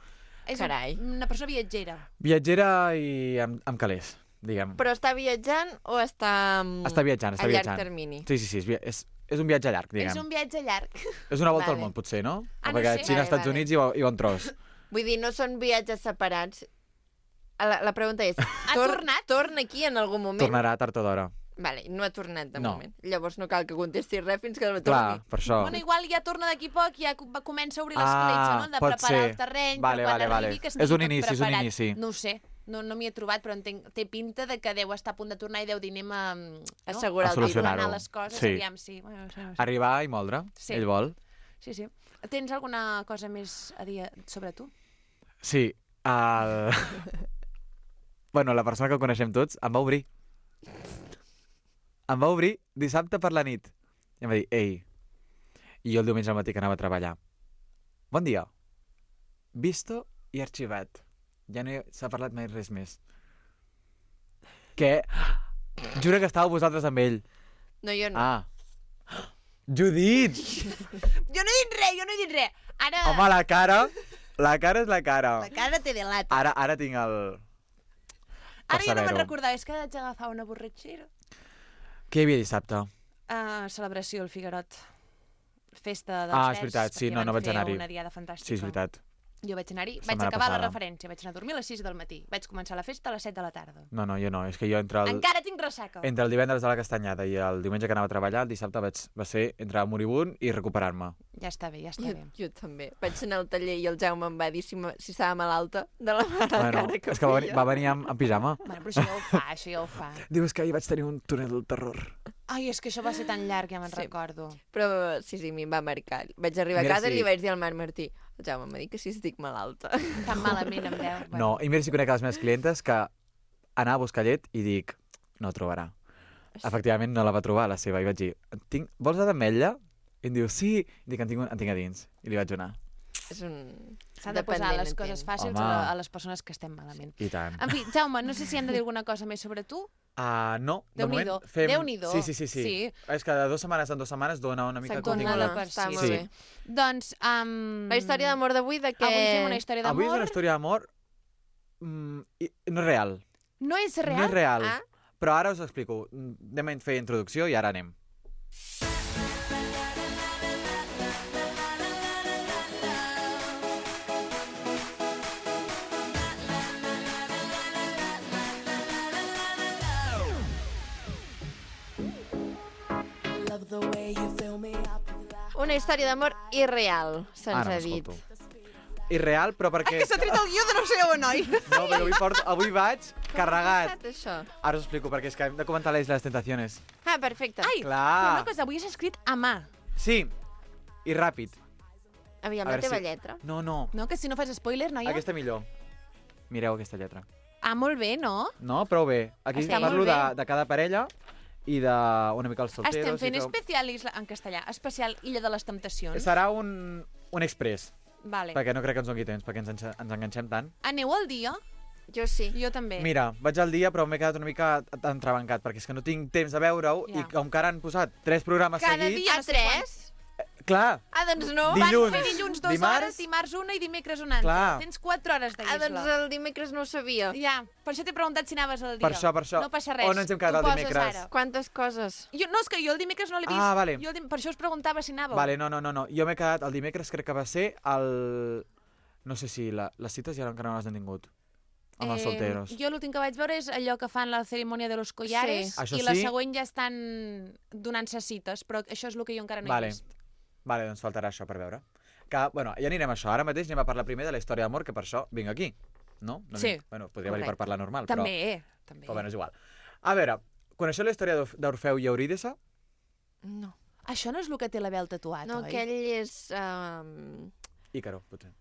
És Carai. una persona viatgera. Viatgera i amb, amb calés, diguem. Però està viatjant o està... mm, Està viatjant, està a llarg viatjant. termini? Sí, sí, sí, és, via- és, és un viatge llarg, diguem. És un viatge llarg. És una volta Vale. al món, potser, no? Ah, no Perquè sé. Xina, Vale, Estats vale. Units i, bo- i bon tros. Vull dir, no són viatges separats. La, la pregunta és, Ha tor tornat? torna aquí en algun moment? Tornarà tard o d'hora. Vale, no ha tornat de No. moment. Llavors no cal que contestis res fins que no Clar, torni. per això. Bueno, igual ja torna d'aquí poc, ja co- va- comença a obrir Ah, l'escletxa, no? De pot preparar ser. el terreny, Vale, per quan vale, vale. arribi que És estigui un tot inici, és un preparat. inici. No ho sé, no, no m'hi he trobat, però entenc, té pinta de que deu estar a punt de tornar i deu dir anem a... No? Assegurar A el títol. solucionar-ho. Anar les coses, Sí. aviam, sí. Bueno, no sé, no sé. Arribar i moldre, Sí. ell vol. Sí, sí. Tens alguna cosa més a dir sobre tu? Sí, el... bueno, la persona que coneixem tots em va obrir. Em va obrir dissabte per la nit. I em va dir, ei, i jo el diumenge al matí que anava a treballar. Bon dia. Visto i arxivat. Ja no hi- s'ha parlat mai res més. Què? Jura que estàveu vosaltres amb ell. No, jo no. Ah. Judit! Jo no he dit res, jo no he dit res. Ara... Home, la cara... La cara és la cara. La cara te delata. Ara, ara tinc el... per Ara ja no me'n saber-ho. recordava, és que haig d'agafar una borratxera. Què hi havia dissabte? Uh, celebració al Figuerot. Festa dels Ah, Verds, és veritat, sí, perquè no, no van vaig fer anar-hi. una diada fantàstica. Sí, és veritat. Jo vaig anar-hi, vaig Setmana acabar la passada. referència, vaig anar a dormir a les sis del matí. Vaig començar la festa a les set de la tarda. No, no, jo no. És que jo entre el, Encara tinc ressaca. entre el divendres de la castanyada i el diumenge que anava a treballar, el dissabte vaig, va ser entre moribund i recuperar-me. Ja està bé, ja està Jo, bé. jo també. Vaig anar al taller i el Jaume em va dir si, me- si estava malalta de la mala Bueno, cara que és que va venir, feia. va venir amb, amb pijama. Bueno, però això ja ho fa, això ja ho fa. Dius que ahir vaig tenir un túnel del terror. Ai, és que això va ser tan llarg, ja me'n Sí. recordo. Però sí, sí, a mi em va marcar. Vaig arribar Mira a casa si- i li vaig dir al Marc Martí, el Jaume m'ha dit que si estic malalta. Tan malament em veu. Bueno. No, i mira si conec les meves clientes que anava a buscar llet i dic, no ho trobarà. Efectivament no la va trobar, la seva, i vaig dir, tinc, vols la d'ametlla? I em diu, sí. I dic, en tinc, un- en tinc a dins. I li vaig donar. És un... S'han de posar dependent, les coses entenc. fàcils Home. a, a les persones que estem malament. I tant. En fi, Jaume, no sé si hem de dir alguna cosa més sobre tu. Uh, no, de moment Déu-n'hi-do. fem... Déu-n'hi-do. Sí, sí, sí, sí, Sí. És que de dues setmanes en dues setmanes dona una mica Se'n torna contingut. la per Està sí. molt Sí. bé. Doncs... Um... La història d'amor d'avui, de què... Avui fem una història Avui és d'amor. una història d'amor mm, i- no és real. No és real? No és real. Ah. Però ara us ho explico. Anem a fer introducció i ara anem. Una història d'amor irreal, se'ns Ara ha dit. m'escolto. Irreal, però perquè... Que s'ha tret el guió de no sé on, oi? No, perquè avui, porto, avui vaig carregat. Com ha passat, això? Ara us explico, perquè és que hem de comentar la Isla de les Tentaciones. Ah, perfecte. Ai, Clar. però una cosa, avui és escrit a mà. Sí, i ràpid. Aviam, A la veure teva si- lletra. No, no, No, que si no fas spoiler, noia. aquesta millor. Mireu aquesta lletra. Ah, molt bé, no? No, prou bé. Aquí Està parlo molt de, bé. de cada parella i de una mica els solteros. Estem fent i tot. especial isla... en castellà, especial Illa de les Temptacions. Serà un, un express, Vale. perquè no crec que ens doni temps, perquè ens, enxa- ens enganxem tant. Aneu al dia? Jo sí. Jo també. Mira, vaig al dia, però m'he quedat una mica entrebancat, perquè és que no tinc temps de veure-ho, Ja. i com que ara han posat tres programes Cada seguits... dia, A no sé tres? Clar, Ah, doncs no. Dilluns, Van fer dilluns dues dimarts- hores, dimarts una i dimecres una altra. Clar. Tens quatre hores de Ah, guisla. doncs el dimecres no ho sabia. Ja, per això t'he preguntat si anaves al dia. per això, per això. No passa res. On ens hem quedat Tu el poses dimecres? ara. Quantes coses? Jo, no, és que jo el dimecres no l'he vist. Ah, vale. Jo el dim... Per això us preguntava si anàveu. Vale, no, no, no, no. Jo m'he quedat el dimecres, crec que va ser el... No sé si la, les cites ja encara no les han tingut. Amb els solteros. Jo l'últim que vaig veure és allò que fan la cerimònia de los collares Sí. Això i la sí. següent ja estan donant-se cites, però això és el que jo encara no Vale. he vist. Vale, doncs faltarà això per veure. Que, bueno, ja anirem a això. Ara mateix anem a parlar primer de la història d'amor, que per això vinc aquí. No? no Sí. vinc- Bueno, podria venir per Correcte. parlar normal, També, també. però... Però bueno, és igual. A veure, coneixeu la història d'Orf- d'Orfeu i Eurídice? No. Això no és el que té l'Abel tatuat, No, oi? aquell és... Um... Ícaro, potser.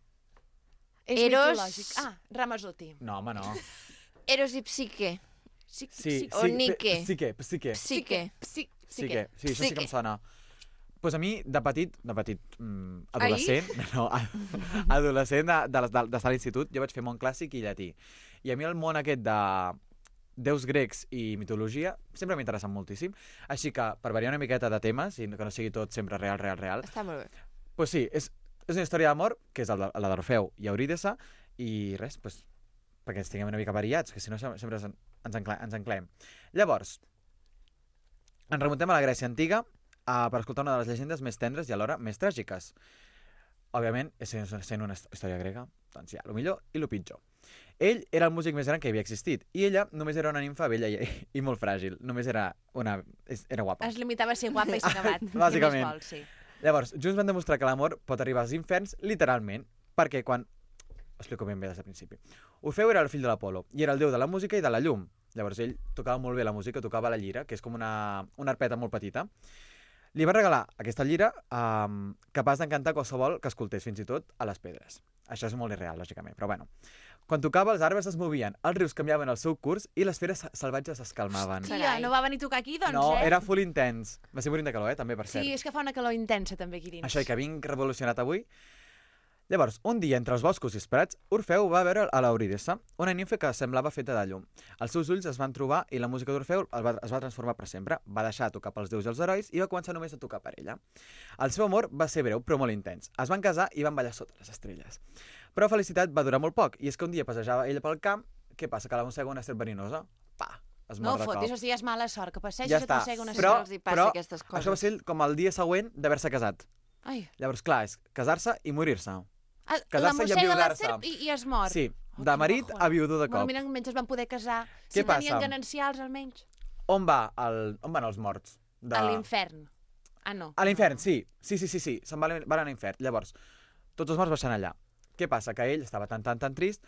És Eros- mitològic. Ah, Ramazotti. No, home, no. Eros i Psique. Sí, Sí, O sí, Nike. pe- Psique, Psique. Psique. Sí, Sí que, sí, això sí que Psique. em sona. Pues a mi, de petit, de petit, mm, adolescent, no, a- adolescent de- de- de- d'estar a l'institut, jo vaig fer món clàssic i llatí. I a mi el món aquest de déus grecs i mitologia sempre m'ha interessat moltíssim. Així que, per variar una miqueta de temes, i que no sigui tot sempre real, real, real, Està molt bé. pues sí, és, és una història d'amor, que és el de- la d'Orfeu i Eurídice, i res, pues, perquè ens tinguem una mica variats, que si no sem- sempre ens, ens, encla, ens enclem. Llavors, ens remuntem a la Grècia antiga uh, per escoltar una de les llegendes més tendres i alhora més tràgiques. Òbviament, sent, sent una història grega, doncs hi ha el millor i el pitjor. Ell era el músic més gran que havia existit, i ella només era una nimfa bella i, i molt fràgil. Només era una... és- era guapa. Es limitava a ser guapa i ser acabat. Bàsicament. Què més vols, sí. Llavors, junts van demostrar que l'amor pot arribar als inferns literalment, perquè quan... Explico ben bé des del principi. Orfeu era el fill de l'Apolo, i era el déu de la música i de la llum. Llavors ell tocava molt bé la música, tocava la llira, que és com una, una arpeta molt petita. Li va regalar aquesta llira um, capaç d'encantar qualsevol que escoltés, fins i tot a les pedres. Això és molt irreal, lògicament, però bueno. Quan tocava, els arbres es movien, els rius canviaven el seu curs i les feres salvatges es calmaven. Tia, no va venir a tocar aquí, doncs, No, eh? era full intens. Va ser morint de calor, eh, també, per cert. Sí, és que fa una calor intensa, també, aquí dins. Això, i que vinc revolucionat avui. Llavors, un dia, entre els boscos i els prats, Orfeu va veure a l'Eurídice, una nimfa que semblava feta de llum. Els seus ulls es van trobar i la música d'Orfeu es va, es va transformar per sempre. Va deixar de tocar pels déus i els herois i va començar només a tocar per ella. El seu amor va ser breu, però molt intens. Es van casar i van ballar sota les estrelles. Però felicitat va durar molt poc, i és que un dia passejava ella pel camp, què passa? Que la mossega una serp verinosa. Pa! Es No mor de fotis, cop. o sigui, és mala sort, que passegis Ja i et està. mossega una Però, serp. els hi passa però aquestes coses. això va ser com el dia següent d'haver-se casat. Ai. Llavors, clar, és casar-se i morir-se. Ah, la Casar-se i mossega la enviudar-se. serp i, i es mor. Sí, Oh, de quin marit bajón. a viudo de Bueno, cop. mira, almenys es van poder casar. Què si passa? tenien ganancials, almenys. On, va el... On van els morts? De... A l'infern. Ah, no. A l'infern, sí. Sí, sí, sí, sí. Se'n van, van anar a l'infern. Llavors, tots els morts baixant allà. Què passa? Que ell estava tan, tan, tan trist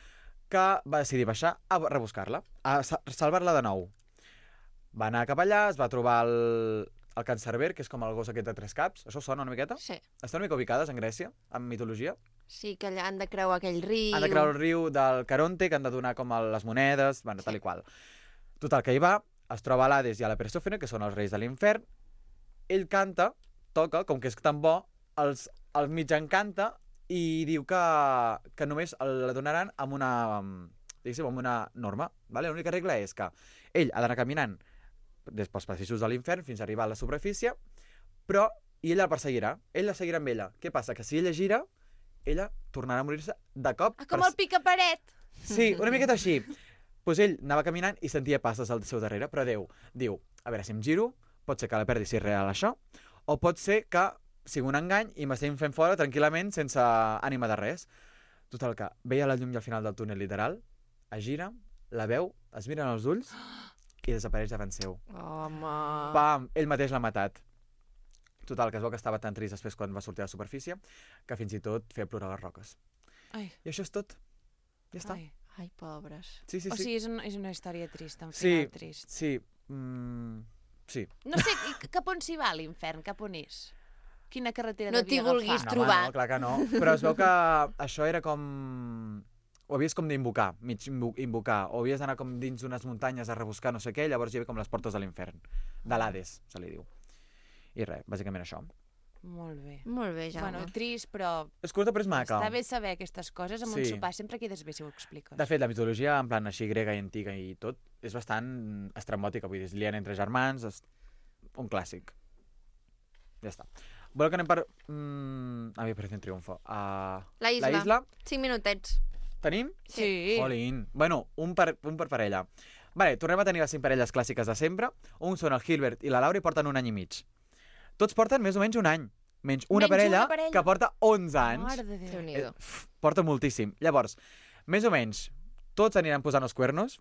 que va decidir baixar a rebuscar-la, a sa- salvar-la de nou. Va anar cap allà, es va trobar el, el cancerber, que és com el gos aquest de tres caps. Això us sona una miqueta? Sí. Estan una mica ubicades en Grècia, en mitologia? Sí, que allà han de creuar aquell riu. Han de creure el riu del Caronte, que han de donar com el- les monedes, bueno, tal i qual. Total, que hi va, es troba l'Hades i a la Persòfone, que són els reis de l'infern. Ell canta, toca, com que és tan bo, els, els mig encanta i diu que, que només la donaran amb una, diguéssim, amb una norma. Vale? L'única regla és que ell ha d'anar caminant des pels passadissos de l'infern fins a arribar a la superfície, però i ella el perseguirà. Ell la seguirà amb ella. Què passa? Que si ella gira, ella tornarà a morir-se de cop. Ah, com per- el picaparet. Sí, una miqueta així. Pues ell anava caminant i sentia passes al seu darrere, però Déu diu, a veure, si em giro, pot ser que la perdi si és real això, o pot ser que sigui un engany i m'estem fent fora tranquil·lament sense ànima de res. Total, que veia la llum i al final del túnel literal, es gira, la veu, es miren els ulls i desapareix davant seu. Home... Pam! Ell mateix l'ha matat. Total, que es veu que estava tan trist després quan va sortir a la superfície que fins i tot feia plorar les roques. Ai. I això és tot. Ja està. Ai. Ai, pobres. Sí, sí, O sí. sigui, és, un, és una història trista, un Sí, final trist. sí. Mm, sí. No sé, i cap on s'hi va l'infern? Cap on és? Quina carretera No devia t'hi vulguis agafar? No, trobar. home, no, clar que no. Però es veu que això era com... Ho havies com d'invocar, mig invo- invocar, o havies d'anar com dins d'unes muntanyes a rebuscar no sé què, llavors hi havia com les portes de l'infern, de l'Hades, se li diu. I res, bàsicament això. Molt bé. Molt bé, Jaume. Bueno, trist, però... És curta, però és maca. Està bé saber aquestes coses amb Sí. un sopar. Sempre quedes bé si ho expliques. De fet, la mitologia, en plan així grega i antiga i tot, és bastant estrambòtica. Vull dir, es lien entre germans, és un clàssic. Ja està. Voleu que anem per... Mm... A mi parece un triomfo. Uh... La isla. La isla. Cinc minutets. Tenim? Sí. Jolín. Bueno, un per, un per parella. Vale, tornem a tenir les cinc parelles clàssiques de sempre. Un són el Gilbert i la Laura i porten un any i mig. Tots porten més o menys un any. Menys una, Menys parella, una parella que porta onze anys. Mare de Déu. Déu-n'hi-do. Eh, porta moltíssim. Llavors, més o menys, tots aniran posant els cuernos,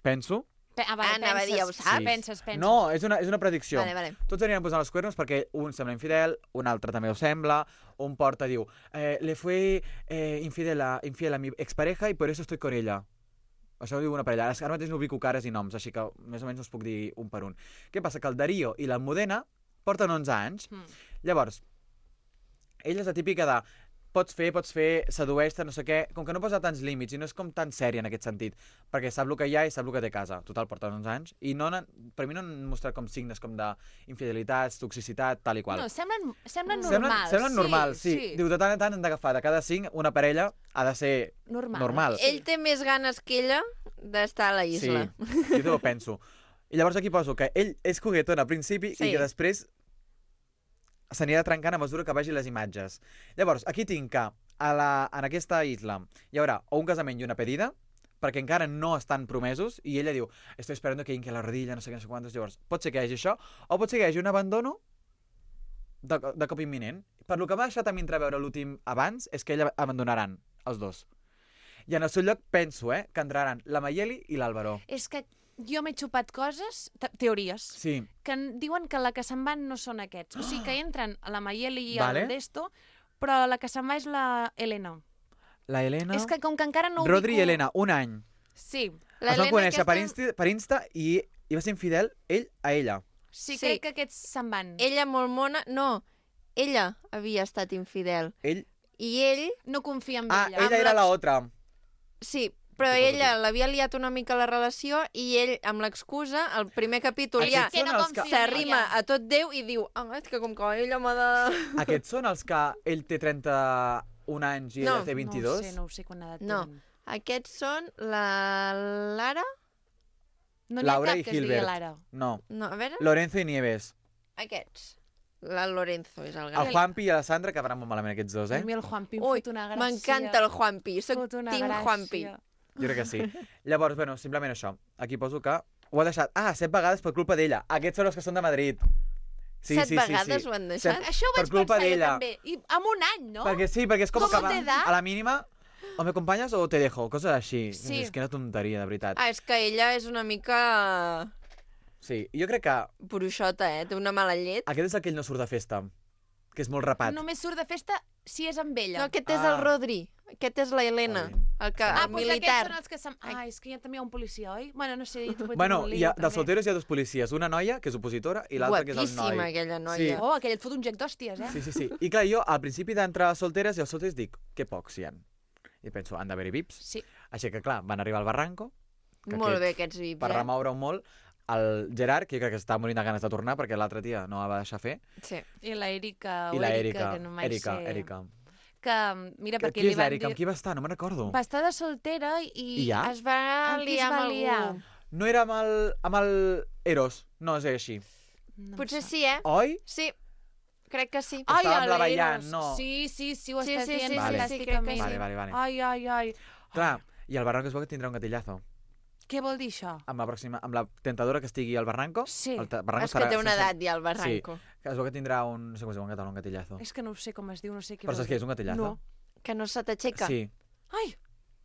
penso. Pe ah, vale, Anava a dir, ja ho penses, saps. penses, penses. No, és una, és una predicció. Vale, vale. Tots aniran posant els cuernos perquè un sembla infidel, un altre també ho sembla, un porta diu eh, le fue eh, infidel, a, infiel a mi expareja y por eso estoy con ella. Això ho diu una parella. Ara mateix no ubico cares i noms, així que més o menys us puc dir un per un. Què passa? Que el Darío i l'Almudena porten onze anys. Mm. Llavors, ella és la típica de pots fer, pots fer, sedueix-te, no sé què, com que no posa tants límits i no és com tan sèria en aquest sentit, perquè sap el que hi ha i sap el que té a casa. Total, porten onze anys i no han, per mi no han mostrat com signes com d'infidelitats, toxicitat, tal i qual. No, semblen, semblen Semblen, normals. semblen normals, sí. sí. Diu, de tant en tant han d'agafar de cada cinc una parella ha de ser Normal. normal. Ell té més ganes que ella d'estar a la isla. Sí, jo també ho penso. I llavors aquí poso que ell és coguetón al principi Sí. i que després s'anirà trencant a mesura que vegi les imatges. Llavors, aquí tinc que a la, en aquesta isla hi haurà o un casament i una pedida, perquè encara no estan promesos, i ella diu, estoy esperando que hinque la rodilla, no sé què, no sé quantos. Llavors, pot ser que hi hagi això, o pot ser que hi hagi un abandono de, de cop imminent. Per lo que m'ha deixat a mi entreveure l'últim abans, és que ella abandonaran, els dos. I en el seu lloc penso, eh, que entraran la Mayeli i l'Àlvaro. És que jo m'he xupat coses, te teories, Sí. que en- diuen que la que se'n van no són aquests. O sigui, que entren a la Mayeli i Vale. al Desto, però la que se'n va és la Helena. La Helena... És que com que encara no Rodri ubico... i Helena, un any. Sí, La Es van Helena conèixer per, aquesta- Insta, per Insta i, i va ser infidel ell a ella. sí, Sí. crec que aquests se'n van. Ella molt mona... No, ella havia estat infidel. Ell... I ell... No confia en Ah, ella. ella era la otra. Sí, però Què passa ella l'havia liat una mica la relació i ell, amb l'excusa, el primer capítol Aquests ja que no són els confia que... en s'arrima ella. a tot Déu i diu, ah, és que com que ella m'ha de... Aquests són els que ell té trenta-un anys i ella No, té vint-i-dos? No ho sé, no ho sé quan edat No. tenen. Aquests són la Lara... No n'hi ha Laura cap i que es digui Gilbert. Lara. No. No, a veure... Lorenzo i Nieves. Aquests. La Lorenzo és el El gran. Juanpi i la Sandra quedaran molt malament aquests dos, eh? A mi el Juanpi em Ui, fot una gràcia. m'encanta el Juanpi. Soc Fot una team gràcia. Juanpi. Jo crec que sí. Llavors, bueno, simplement això. Aquí poso que ho ha deixat... Ah, set vegades per culpa d'ella. Aquests són els que són de Madrid. Sí, Set sí, sí, vegades sí. ho han deixat? Set- Això ho per vaig culpa pensar jo d'ella. també. I amb un any, no? Perquè sí, perquè és com, Com que va, t'edat? a la mínima o me acompanyes o te dejo, coses així. Sí. És que una tonteria, de veritat. Ah, és que ella és una mica Sí, jo crec que bruixota, eh? Té una mala llet. aquest és el que ell no surt de festa, que és molt rapat. Només surt de festa si és amb ella. No, aquest és Ah. el Rodri. Aquest és la Helena. Jolín. El, que, Ah, el doncs militar. aquests són els que se'n... Ah, és que ja també hi ha un policia, oi? Bueno, no sé. Bueno, hi ha, dels solteros hi ha dos policies, una noia, que és opositora, i l'altra que és el Guapíssima, noi. aquella Sí. noia. Oh, aquell et fot un gec d'hòsties, eh? Sí, sí, sí. I clar, jo al principi d'entrar a solteres i als solters dic, que pocs hi ha. I penso, han d'haver-hi vips. Sí. Així que clar, van arribar al Barranco, que Molt aquest, bé, aquests vips, per eh? remoure-ho molt, el Gerard, que jo crec que està morint de ganes de tornar perquè l'altra tia no la va deixar fer, Sí. I la Erika, i o la Erika, Erika, que no mai Erika, sé... Erika. Que, mira, Que, perquè qui li és van l'Erika? dir... Amb qui va estar? No me'n recordo. Va estar de soltera i... I ja? Es va Amb qui es liar va amb liar? algú. No era amb el, amb el Eros, no és així. No em Potser sap. sí, eh? Oi? Sí, crec que sí. Ai, Estava amb la el Bayan, Eros. no. Sí, sí, sí, ho Sí, estàs sí, dient sí, sí, sí, fantàsticament. crec que sí. Vale, vale, vale. Ai, ai, ai. Clar, i el Barranco es veu que tindrà un gatillazo. Què vol dir això? Amb la pròxima, amb la tentadora que estigui al Barranco. Sí. El ta- Barranco És que estarà- té una sense- edat ja, el Barranco. Sí, que es veu que tindrà un... No sé com es diu en català, un gatillazo. És que no sé com es diu, no sé què Però vol saps què és, un gatillazo? No. Que no se t'aixeca. Sí. Ai,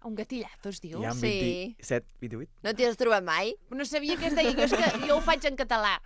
un gatillazo es diu? Hi ha Sí. vint-i-set, vint-i-vuit. No t'hi has trobat mai? No sabia què es deia, jo, és que jo ho faig en català.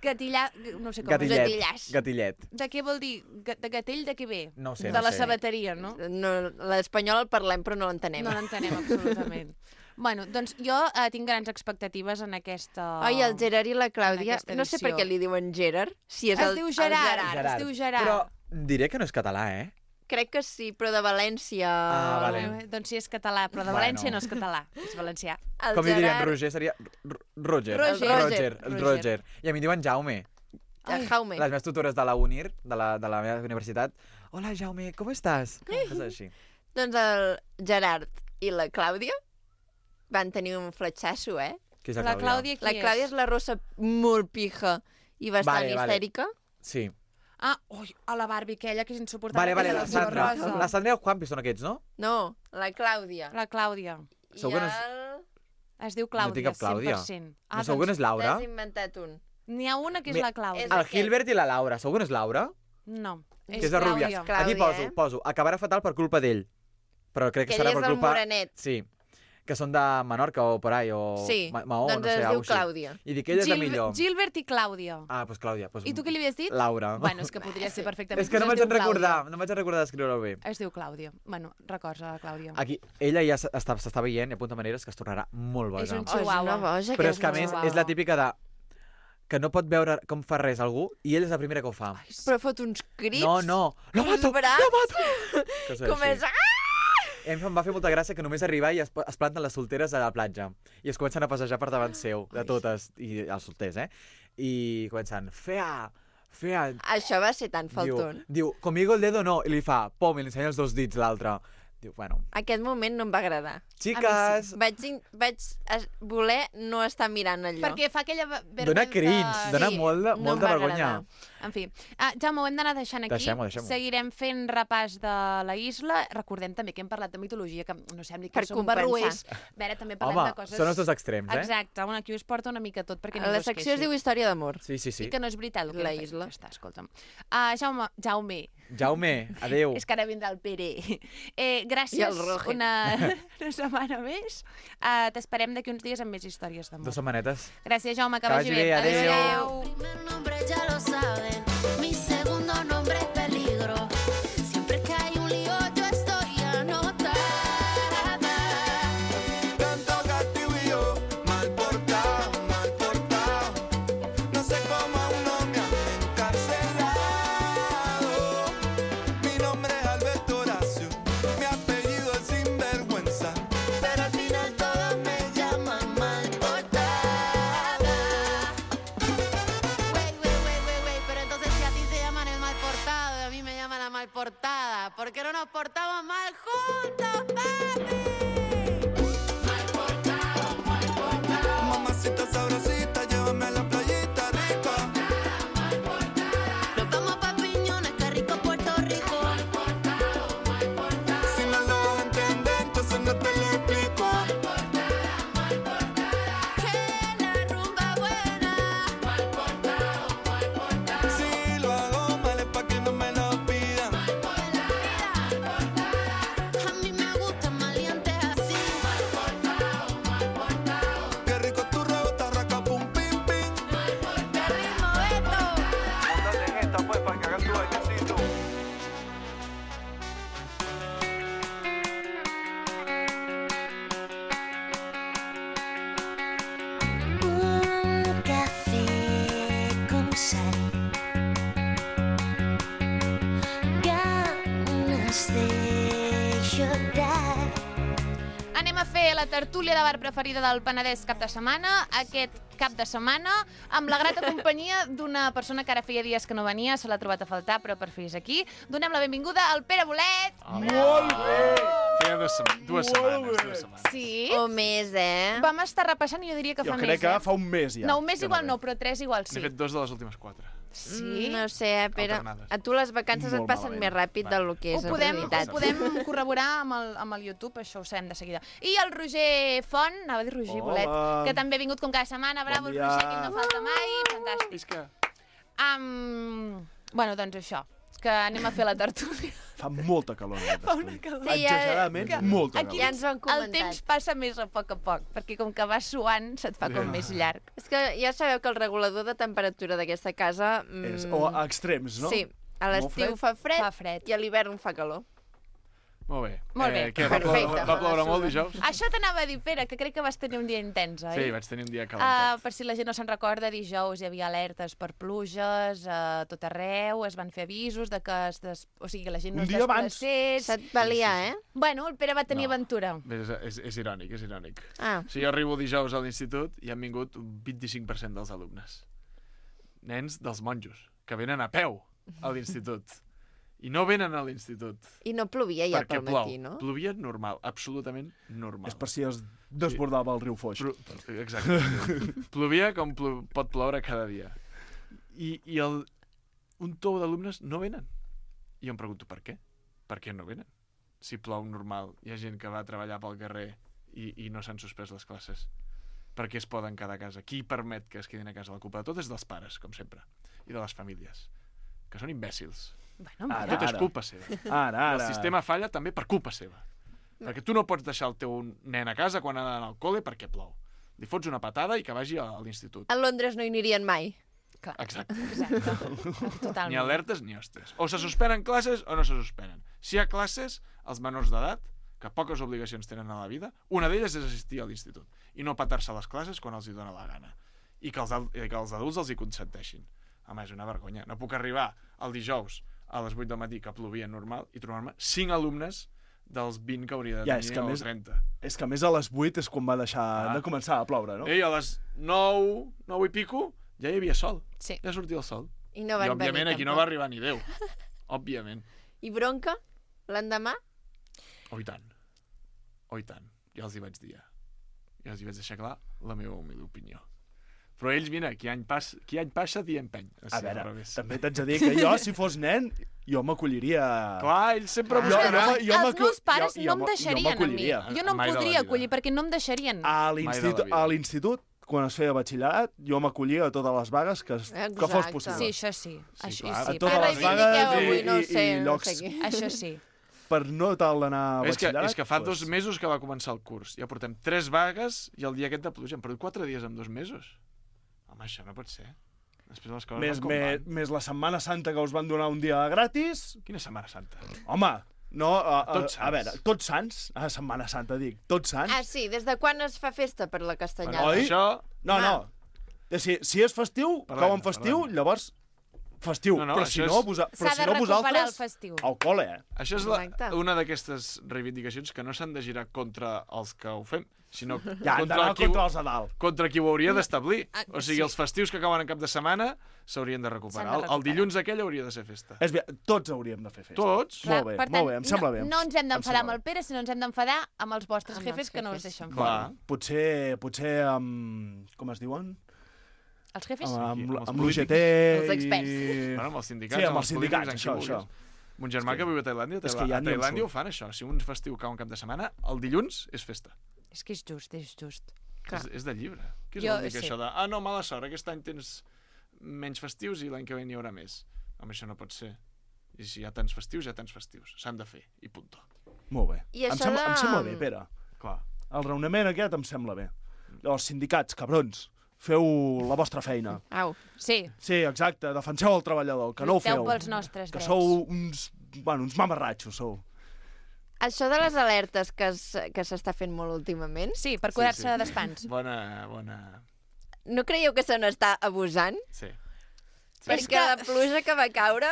Gatillà... No sé com Gatillet. es Gatillàs. Gatillet. diu. De què vol dir? Ga- De gatell de què ve? No ho sé, de no la sé. sabateria, no? No, l'espanyol el parlem, però no l'entenem. No l'entenem absolutament. Bueno, doncs jo eh, tinc grans expectatives en aquesta... Oi, el Gerard i la Clàudia, aquesta no sé per edició. què li diuen Gerard, si és Es el, diu el Gerard. Gerard. Es diu Gerard. Però diré que no és català, eh? Crec que sí, però de València... Ah, vale. Eh, doncs sí, és català, però de Bueno. València no és català, és valencià. El Com li dirien Gerard... Roger, seria R- Roger. Roger. Roger. El Roger. Roger. I a mi diuen Jaume. Ai. Jaume. Les meves tutores de la UNIR, de la, de la meva universitat. Hola, Jaume, com estàs? És així. Doncs el Gerard i la Clàudia van tenir un fletxasso, eh? Qui és la La Clàudia? Clàudia qui La Clàudia és? és la rossa molt pija i bastant Vale, vale. histèrica. Sí. Ah, ui, a la Barbie aquella que és insuportable. Vale, vale, que és la el color Sandra. rosa. La Sandra i el Juanpi són aquests, no? No, la Clàudia. La Clàudia. I Segur que no és- el... Es diu No té Clàudia, cap Clàudia. cent per cent. No, segur que no és Laura? T'has inventat un. N'hi ha una que és Mi- la Clàudia. És El aquest. Gilbert i la Laura. Segur que no és Laura? No, Que és és la rubia. Clàudia. Clàudia, Aquí poso, eh? poso. Acabarà fatal per culpa d'ell. Però crec que, Que serà ell per és el culpa... morenet. Sí. Que són de Menorca o por ahí, o Sí, Ma Maó, doncs no sé, es diu alguna cosa així. Clàudia. I dic, ella és la Gil- millor. Gilbert i Clàudia. Ah, doncs Clàudia. Pues, I tu què li havies dit? Laura. Bueno, és que podria ser perfectament. És que no Es vaig diu recordar, Clàudia. no vaig recordar d'escriure-ho bé. Es diu Clàudia. Bueno, records a la Clàudia. Aquí, ella ja s'està s'està veient i apunta maneres que es tornarà molt boja. És un Oh, és una chihuahua. boja, Però és que a aquesta més chihuahua. és la típica de que no pot veure com fa res algú i ell és la primera que ho fa. Però fot uns crits. No, no. Lo uns mato, braç. lo mato. Coses Com així. és... Ah! I a mi em va fer molta gràcia que només arribar i es, es planten les solteres a la platja. I es comencen a passejar per davant seu, de totes, i els solters, eh? I comencen, fea, fea. Això va ser tan falton. Diu, diu, conmigo el dedo no. I li fa, pom, i li ensenya els dos dits l'altre. Diu, bueno, Aquest moment no em va agradar. xiques... Vaig, in- vaig es- voler no estar mirant allò. Perquè fa aquella ve- vergonya... Dona cringe, dona Sí, molt de, no molt em de va vergonya. agradar. En fi. Ah, Jaume, ho hem d'anar deixant aquí. Deixem-ho, deixem-ho. Seguirem fent repàs de la isla. Recordem també que hem parlat de mitologia, que no sembli que Per som compensar. barruers. A veure, també parlem Home, de coses... són els dos extrems, eh? Exacte, un aquí us porta una mica tot perquè ningú La es secció es queixi. diu Història d'amor. Sí, sí, sí. I que no és veritat el que La hem fet. isla. Ja està, escolta'm. Uh, Jaume, Jaume, Jaume, adeu. és que ara vindrà el Pere. Eh, gràcies I el Roge. una, una setmana més. Uh, T'esperem d'aquí uns dies amb més històries Dos d'amor. setmanetes. Gràcies, Jaume, que, Que vagi vagi bé. bé, adéu. Adéu. Primer nombre ya lo saben, mi segundo nombre es peligro. Siempre que hay un lío yo estoy anotada. Tanto castigo y yo, mal portado, mal portado. No sé cómo aún no me han encarcelado. Mi nombre es Alberto Horacio, mi apellido es Sinvergüenza. Pero al final todos me llaman mal portada. Wey, wey, wey, wey, wey, pero entonces si a ti te llaman el mal portado y a mí me llaman la mal portada, ¿por qué no nos portamos mal juntos, papi? Mal portado, mal portado. Mamacita sabrosita, llévame a la playita rica. Nos vamos pa' Piñones, qué rico Puerto Rico. Mal portado, mal portado. Si no lo vas a entender, entonces no te lo explico. Que la rumba buena. Mal portado, mal portado. Si lo hago mal es pa' que no me lo pidan. A mí me gustan maleantes así. Mal portado, mal portado. Qué rico tu rebota, raca, pum, pim, pim. ¡Qué ritmo esto! Móntate en esta, pues, para que hagas tu bailecito. Un café con sal. Ganas de llorar. Anem a fer la tertúlia de bar preferida del Penedès cap de setmana. Aquest cap de setmana, amb la grata companyia d'una persona que ara feia dies que no venia, se l'ha trobat a faltar, però per fi és aquí. Donem la benvinguda al Pere Bolet. Molt bé! Feia dues, sema dues setmanes, dues setmanes. Sí. O més, eh? Vam estar repassant i jo diria que Jo fa crec més, que eh? fa un mes ja. No, un mes que igual ve. no, però tres igual sí. N'he fet dos de les últimes quatre. Sí? No sé, eh, Pere. Alternades. A tu les vacances et Molt passen malament. més ràpid Va. del que Ho és en podem, realitat. ho podem corroborar amb el, amb el YouTube, això ho sabem de seguida. I el Roger Font, anava a dir Roger Hola. Bolet, que també ha vingut com cada setmana. Bravo, Bon el dia. Roger, que ell no falta mai. Fantàstic. Visca. Um, bueno, doncs això, que anem a fer la tertúlia. Fa molta calor en aquest Fa una estudi. calor. Sí, ja- Exageradament, que- molta Aquí calor. Ja ens ho han El comentat. temps passa més a poc a poc, perquè com que vas suant se't fa com Ja. més llarg. És que ja sabeu que el regulador de temperatura d'aquesta casa... Mm, És, o a extrems, no? Sí, a Molt l'estiu fred? fa fred, Fa fred. i a l'hivern fa calor. Molt bé. Molt bé. Eh, què, va Perfecte. ploure, va ploure molt dijous? Això t'anava a dir, Pere, que crec que vas tenir un dia intens, oi? Sí, vaig tenir un dia Uh, calentat. per si la gent no se'n recorda, dijous hi havia alertes per pluges a tot arreu, es van fer avisos de que es des... o sigui, que la gent no Un es dia abans. desplacés. Se't valia, eh? Bueno, el Pere va tenir No. aventura. És, és, és irònic, és irònic. Ah, Si jo arribo dijous a l'institut i han vingut un vint-i-cinc per cent dels alumnes. nens dels monjos, que venen a peu a l'institut. I no venen a l'institut. I no plovia ja perquè pel matí, plou. no? Plovia normal, absolutament normal. És per si es desbordava el riu Foix. Plo... Exacte. Plovia com plo... pot ploure cada dia. I, i el... un tou d'alumnes no venen. I jo em pregunto per què? Per què no venen? Si plou normal, hi ha gent que va a treballar pel carrer i, i no s'han suspès les classes. Per què es poden quedar a casa? Qui permet que es quedin a casa? La culpa de tot és dels pares, com sempre, i de les famílies, que són imbècils. Bueno, Ara, tot és ara. culpa seva. Ara, ara. El sistema falla també per culpa seva. Perquè tu no pots deixar el teu nen a casa quan ha d'anar al col·le perquè plou. Li fots una patada i que vagi a l'institut. A Londres no hi anirien mai. Clar. Exacte. Exacte. Totalment. Ni alertes ni hostes. O se suspenen classes o no se suspenen. Si hi ha classes, els menors d'edat, que poques obligacions tenen a la vida, una d'elles és assistir a l'institut i no patar-se les classes quan els hi dóna la gana. I que els, i que els adults els hi consenteixin. Home, és una vergonya. No puc arribar el dijous a les vuit del matí, que plovia normal, i trobar-me cinc alumnes dels vint que hauria de Ja, tenir és que o més- trenta. És que a més a les vuit és quan va deixar Ah. de començar a ploure, no? Ei, a les nou, nou i pico, ja hi havia sol. Sí. Ja sortia el sol. I no van I, òbviament, venir aquí no tampoc. va arribar ni Déu. Òbviament. I bronca? L'endemà? Oh, i tant. Oh, i tant. Ja els hi vaig dir. Ja els hi vaig deixar clar la meva humil opinió. Però ells, mira, qui any passa, qui any passa dia empeny. O A sigui, al veure, revés. també t'haig de dir que jo, si fos nen, jo m'acolliria... Clar, ells sempre... Jo- jo m'ha- jo Els m'acu- meus pares jo- no em jo- jo deixarien a mi. m'acolliria. Jo no em Mai de la podria vida. acollir perquè no em deixarien. A Mai de l'institut, la vida. a l'institut, quan es feia batxillerat, jo m'acollia a totes les vagues que, es, que fos Exacte. possible. Sí, això sí. Sí, Això clar. sí. A totes Ara les reivindiqueu vagues i, avui, no i, sé, i no llocs sé què. Això sí. per no tal d'anar a És que, batxillerat. és que fa doncs, dos mesos que va començar el curs. Ja portem tres vagues i el dia aquest de pluja. Hem perdut quatre dies en dos mesos. Home, això no pot ser. Després les coses Més, van com més, van. més la Setmana Santa que us van donar un dia gratis. Quina Setmana Santa? Home, no, a, a, Tots a Sants. veure, tots sants, a Setmana Santa dic, tots sants. Ah, sí, des de quan es fa festa per la castanyada? Oi? Això... No, no, si, si és festiu, Parlem, cau en festiu, parlem. llavors festiu. No, no, però això si no, és- vosa, però S'ha si de no recuperar el vosaltres, festiu. al col·le, eh? Això és la, Correcte. una d'aquestes reivindicacions que no s'han de girar contra els que ho fem, sinó Ja, han contra, d'anar qui, contra els de dalt. contra qui ho hauria d'establir. Ah, O sigui, sí. els festius que acaben en cap de setmana s'haurien de recuperar. S'han de El, el recuperar. dilluns aquell hauria de ser festa. És bé, tots hauríem de fer festa. Tots? Molt bé, per molt bé, em sembla no, bé. No ens hem Em d'enfadar sembla amb el Pere, sinó ens hem d'enfadar amb els vostres Amb jefes els que no els jefes. deixen Clar. fora. Potser, potser amb... Com es diuen? Els jefes? Amb, amb, amb els amb l'U G T Els experts. i... Bueno, amb els sindicats, Sí, amb els polítics, sindicats, amb qui això, vulguis. això. Mon germà És que, que- viu a Tailàndia, és que Tailà- ja a ni em Tailàndia surt. ho fan, això. Si un festiu cau en cap de setmana, el dilluns és festa. És que és just, és just. És, és de llibre. Què és Jo- vol dir que sí. això de... Ah, no, mala sort, aquest any tens menys festius i l'any que ve n'hi haurà més. Home, això no pot ser. I si hi ha tants festius, hi ha tants festius. S'han de fer, i punto. Molt bé. I Em això sembla, de- em sembla bé, Pere. Clar. El raonament aquest em sembla bé. Els sindicats, cabrons, feu la vostra feina. Au. Sí, Sí, exacte, defenseu el treballador, que no ho lluiteu feu. pels nostres Que drets. sou uns, bueno, uns mamarratxos, sou. Això de les alertes que es- que s'està fent molt últimament, Sí, per cuidar-se Sí, sí. d'espans. Bona, bona... no creieu que se n'està abusant? Sí. Perquè que- la pluja que va caure...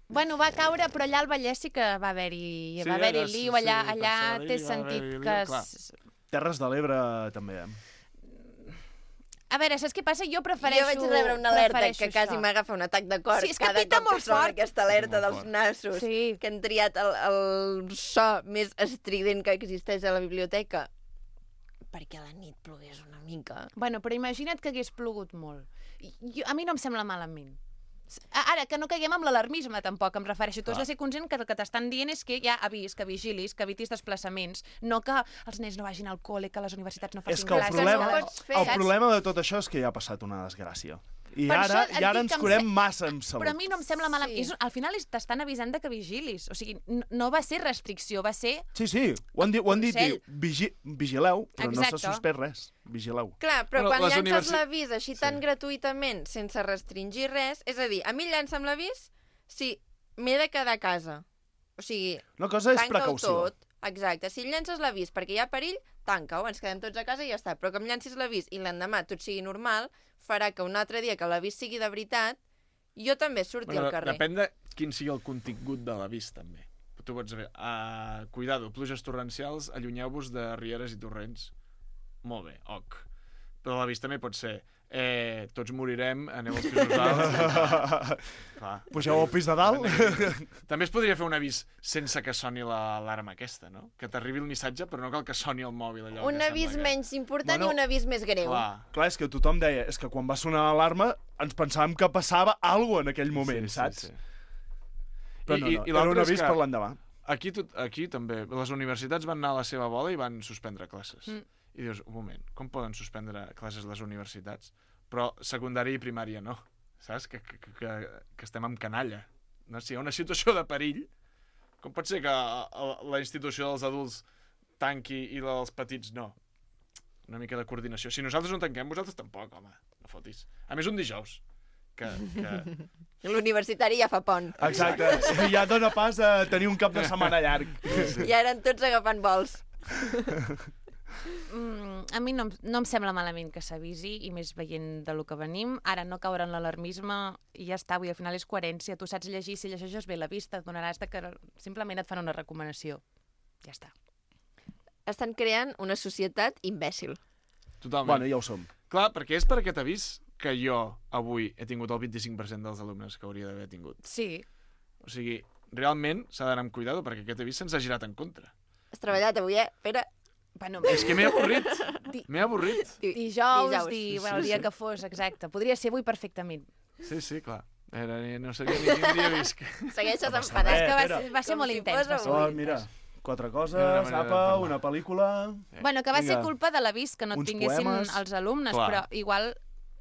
Bueno, va caure, però allà al Vallès sí que va haver-hi Sí, va haver-hi allà sí, lío, allà, sí, per allà Sabadell té va sentit haver-hi que... lío, clar. es- Terres de l'Ebre també, eh? A veure, saps què passa? Jo prefereixo... Jo vaig rebre una alerta prefereixo que quasi això. m'agafa un atac de cor Sí, és que cada pita cop molt que sona fort. aquesta alerta Molt dels fort. nassos, Sí. que han triat el, el so més estrident que existeix a la biblioteca perquè a la nit plogués una mica. Bueno, però imagina't que hagués plogut molt. I- Jo, a mi no em sembla malament. Ara, que no caiguem amb l'alarmisme, tampoc, em refereixo. Tu has de ser conscient que el que t'estan dient és que hi ha avís, que vigilis, que evitis desplaçaments, no que els nens no vagin al col·le, que les universitats no facin És que el classes. problema, no ho pots fer, el saps? problema de tot això és que ja ha passat una desgràcia. I Per ara, això et i ara dic ens que em curem se- massa amb salut. Però a mi no em sembla malament. Sí. És, al final és- t'estan avisant de que vigilis. O sigui, no, no va ser restricció, va ser... Sí, sí, ho han dit, ho han dit Consell. diu, vigi, vigileu, però Exacte. no s'ha suspès res. Vigileu. Clar, però Bueno, quan les llances universi- l'avís així tan gratuïtament, sense restringir res, és a dir, a mi llança'm l'avís si m'he de quedar a casa. O sigui, Una cosa és tanca-ho precaució. tot. Exacte. Si llences l'avís perquè hi ha perill, tanca-ho, ens quedem tots a casa i ja està. Però que em llancis l'avís i l'endemà tot sigui normal, farà que un altre dia que l'avís sigui de veritat, jo també surti Bueno, al carrer. depèn de quin sigui el contingut de l'avís, també. Tu pots dir, uh, cuidado, pluges torrencials, allunyeu-vos de rieres i torrents. Molt bé, ok. Però l'avís també pot ser, eh, tots morirem, aneu als pisos alts. Pugeu al pis de dalt. També es podria fer un avís sense que soni l'alarma aquesta, no? Que t'arribi el missatge, però no cal que soni el mòbil. Allò Un que avís que... menys important Bueno, i un avís més greu. Clar. Clar, és que tothom deia, és que quan va sonar l'alarma ens pensàvem que passava alguna cosa en aquell moment, Sí, sí, saps? sí. Però no, no, era l'altre un és avís que per l'endemà. Aquí, tot, aquí també, les universitats van anar a la seva bola i van suspendre classes. Mm. I dius, un moment, com poden suspendre classes les universitats? Però secundària i primària no, saps? Que, que, que, que estem amb canalla. No? Si hi ha una situació de perill, com pot ser que la institució dels adults tanqui i la dels petits no? Una mica de coordinació. Si nosaltres no tanquem, vosaltres tampoc, home, no fotis. A més, un dijous. Que, que... L'universitari ja fa pont. Exacte, ja dona pas a tenir un cap de setmana llarg. I ara en tots agafant vols. Mm, a mi no, em- no em sembla malament que s'avisi, i més veient de lo que venim. Ara no caure en l'alarmisme i ja està, vull dir, al final és coherència. Tu saps llegir, si llegeixes bé la vista, et donaràs de que simplement et fan una recomanació. Ja està. Estan creant una societat imbècil. Totalment. Bueno, ja ho som. Clar, perquè és per aquest avís que jo avui he tingut el vint-i-cinc per cent dels alumnes que hauria d'haver tingut. Sí. O sigui, realment s'ha d'anar amb cuidado perquè aquest avís se'ns ha girat en contra. Has treballat avui, eh? Pere. Bueno, És que m'he avorrit. M'he avorrit. Dijous, Dijous. di, Sí, bueno, el sí, dia sí. que fos, exacte. Podria ser avui perfectament. Sí, sí, clar. Era, no sabia ni quin dia visc. Segueixes No passa enfadat. res, És que va Pere. ser, va ser Com molt si intens. fos Va ser Oh, molt mira, intens. quatre Una coses, manera de apa, parlar. una pel·lícula... Bueno, que va ser Vinga. culpa de l'avís que no Uns tinguessin poemes. els alumnes, Clar. però igual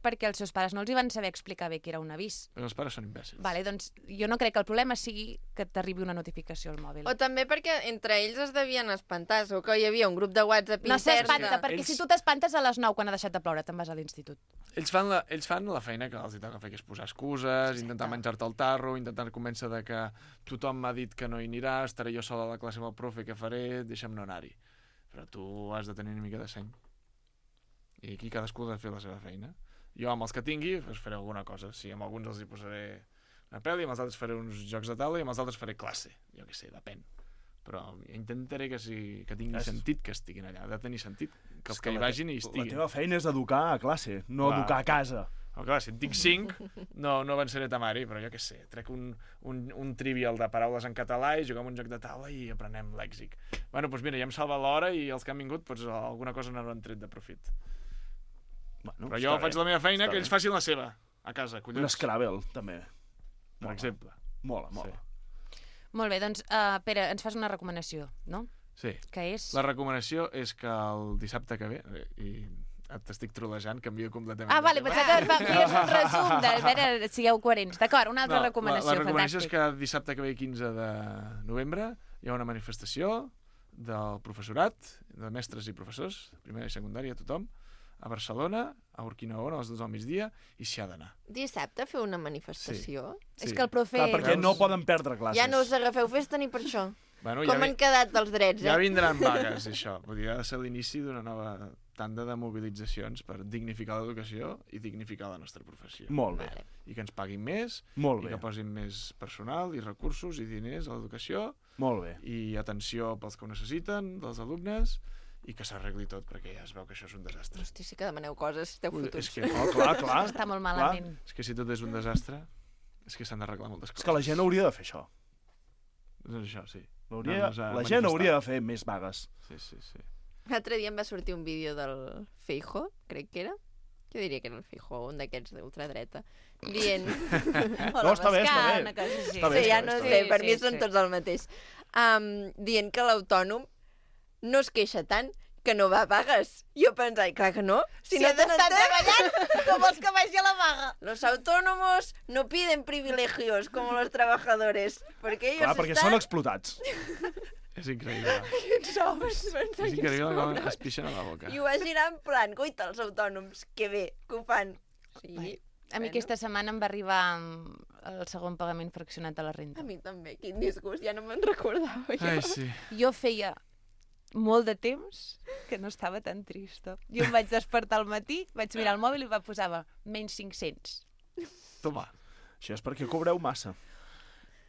perquè els seus pares no els hi van saber explicar bé que era un avís. Però els pares són imbècils. Vale, doncs jo no crec que el problema sigui que t'arribi una notificació al mòbil. O també perquè entre ells es devien espantar, o que hi havia un grup de WhatsApp No intern. s'espanta, perquè Ells- si tu t'espantes a les nou quan ha deixat de ploure, te'n vas a l'institut. Ells fan, la, ells fan la feina que els hi toca fer, que és posar excuses, intentar menjar-te el tarro, intentar convèncer de que tothom m'ha dit que no hi anirà, estaré jo sola a la classe amb el profe, què faré, deixa'm no anar-hi. Però tu has de tenir una mica de seny. I aquí cadascú ha de fer la seva feina. Jo amb els que tingui doncs faré alguna cosa. Sí, amb alguns els hi posaré una pel·li, amb els altres faré uns jocs de taula i amb els altres faré classe. Jo què sé, depèn. Però intentaré que, sí, que tingui És- sentit que estiguin allà. Ha de tenir sentit que els És que hi la te- vagin hi La estiguin. teva feina és educar a classe, no Clar. educar a casa. Oh, clar, si en tinc cinc, no, no avançaré temari, però jo què sé, trec un, un, un trivial de paraules en català i juguem un joc de taula i aprenem lèxic. Bueno, doncs mira, ja em salva l'hora i els que han vingut, doncs alguna cosa n'hauran tret de profit. Bueno, Però jo està faig bé, la meva feina, està que bé. ells facin la seva, a casa, Un collons. Scrabble, també. Per exemple. Mola, mola. Molt bé, doncs, uh, Pere, ens fas una recomanació, no? Sí. Que és... La recomanació és que el dissabte que ve, eh, i t'estic trolejant, canvio completament Ah, de vale, tema. pensava que fa- feies un resum de... A veure, sigueu coherents. D'acord, una altra No, recomanació, la, la recomanació fantàstic. és que dissabte que ve, quinze de novembre, hi ha una manifestació del professorat, de mestres i professors, primària i secundària, tothom, a Barcelona, a Urquinaona, a les dues del migdia, i s'hi ha d'anar. Dissabte fer una manifestació? Sí. És que el profe... Clar, perquè no poden perdre classes. Ja no us agafeu festa ni per això. Bueno, Com ja vi- han quedat els drets, eh? Ja vindran vagues, això. Vull dir, ha de ser l'inici d'una nova tanda de mobilitzacions per dignificar l'educació i dignificar la nostra professió. Molt bé. Vale. I que ens paguin més, Molt i bé. que posin més personal i recursos i diners a l'educació, Molt bé. i atenció pels que ho necessiten, dels alumnes, i que s'arregli tot, perquè ja es veu que això és un desastre. Hosti, sí que demaneu coses, esteu Ui, fotuts. és que, Oh, clar, clar. Està molt Clar. malament. és que si tot és un desastre, és que s'han d'arreglar moltes És coses. que la gent hauria de fer això. Doncs això, sí. Hauria, Anar-nos a la gent manifestar. hauria de fer més vagues. Sí, sí, sí. L'altre dia em va sortir un vídeo del Feijóo, crec que era. Jo diria que era el Feijóo, un d'aquests d'ultradreta, dient... No, està bé, està bé. Una cosa així. Està bé, Sí, ja està no bé, sé, Sí, per sí, mi són sí. tots el mateix. Um, dient que l'autònom no es queixa tant, que no va a vagues. Jo pensava, clar que no. Si, Si no has tenen d'estar temps. treballant, com vols que vagi a la vaga? Los autónomos no piden privilegios como los trabajadores, porque ellos Clar, perquè están... són explotats. És increïble. Sous. És increïble com es pixen a la boca. I ho va girar en plan, guaita, els autònoms, que bé, que ho fan. Sí, A mi aquesta setmana em va arribar mm, el segon pagament fraccionat de la renta. a mi també, quin disgust, ja no me'n recordava jo. Ai, sí. Jo feia molt de temps que no estava tan trista. Jo em vaig despertar al matí, vaig mirar el mòbil i va posava menys cinc-cents. Toma. Això és perquè cobreu massa.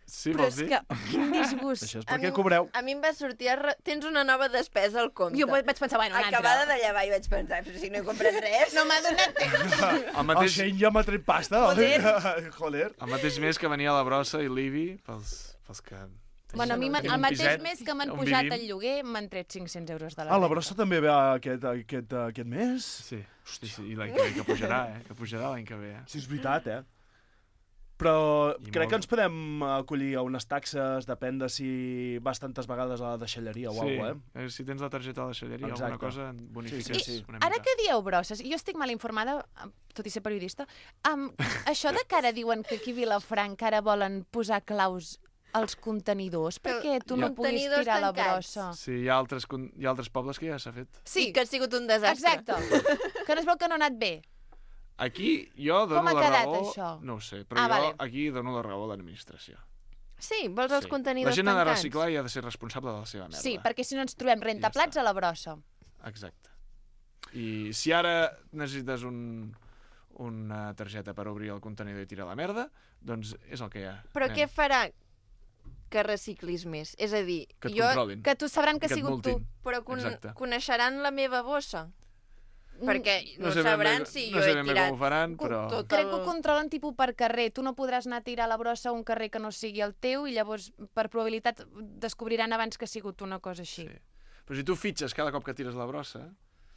Sí, Però vols és dir? que, quin disgust. Això és A perquè mi- cobreu. A mi em va sortir... A... re- Tens una nova despesa al compte. Jo vaig pensar, bueno, una altra. Acabada de llevar i vaig pensar, però si no he comprat res... No m'ha donat temps. El El mateix, Shane ja m'ha tret pasta. Joder. Joder. el mateix mes que venia la brossa i l'Ibi, pels, pels que... Bueno, a mi m'han- Tenim el un mateix piset mes que m'han on pujat vivim. el lloguer m'han tret cinc-cents euros de la Ah, la renta. brossa també ve aquest, aquest, aquest mes? Sí, sí, sí, i l'any que ve, que pujarà, eh? Que pujarà l'any que ve, eh? Sí, és veritat, eh? Però I crec molt. que ens podem acollir a unes taxes, depèn de si vas tantes vegades a la deixalleria o Sí, alguna cosa, eh? eh, si tens la targeta de deixalleria, Exacte. alguna cosa, bonifiques Sí, sí, sí. una Ara mica. que dieu brosses, jo estic mal informada, tot i ser periodista, um, això de que ara diuen que aquí a Vilafranca ara volen posar claus als contenidors perquè tu no Ja. puguis Contenidors tirar la tancats. brossa. Sí, hi ha altres, con- hi ha altres pobles que ja s'ha fet. Sí, que ha sigut un desastre. Exacte. Que no es veu que no ha anat bé. Aquí jo dono Com ha la quedat, raó... això? No ho sé, però Ah, jo vale. aquí dono la raó a l'administració. Sí, vols els Sí. contenidors La gent ha de tancats? reciclar i ha de ser responsable de la seva merda. Sí, perquè si no ens trobem rentaplats a la brossa. Exacte. I si ara necessites un, una targeta per obrir el contenidor i tirar la merda, doncs és el que hi ha. Però nen. què farà que reciclis més? És a dir, Que et jo... controlin. Que tu sabran que ha Que et sigut tu. multin. Però con Exacte. coneixeran la meva bossa? Perquè no, sé ben sabran bé- si no jo sé he ben bé tirat com ho faran, però... tot Crec el... que ho controlen tipus per carrer. Tu no podràs anar a tirar la brossa a un carrer que no sigui el teu i llavors, per probabilitat, descobriran abans que ha sigut una cosa així. Sí. Però si tu fitxes cada cop que tires la brossa,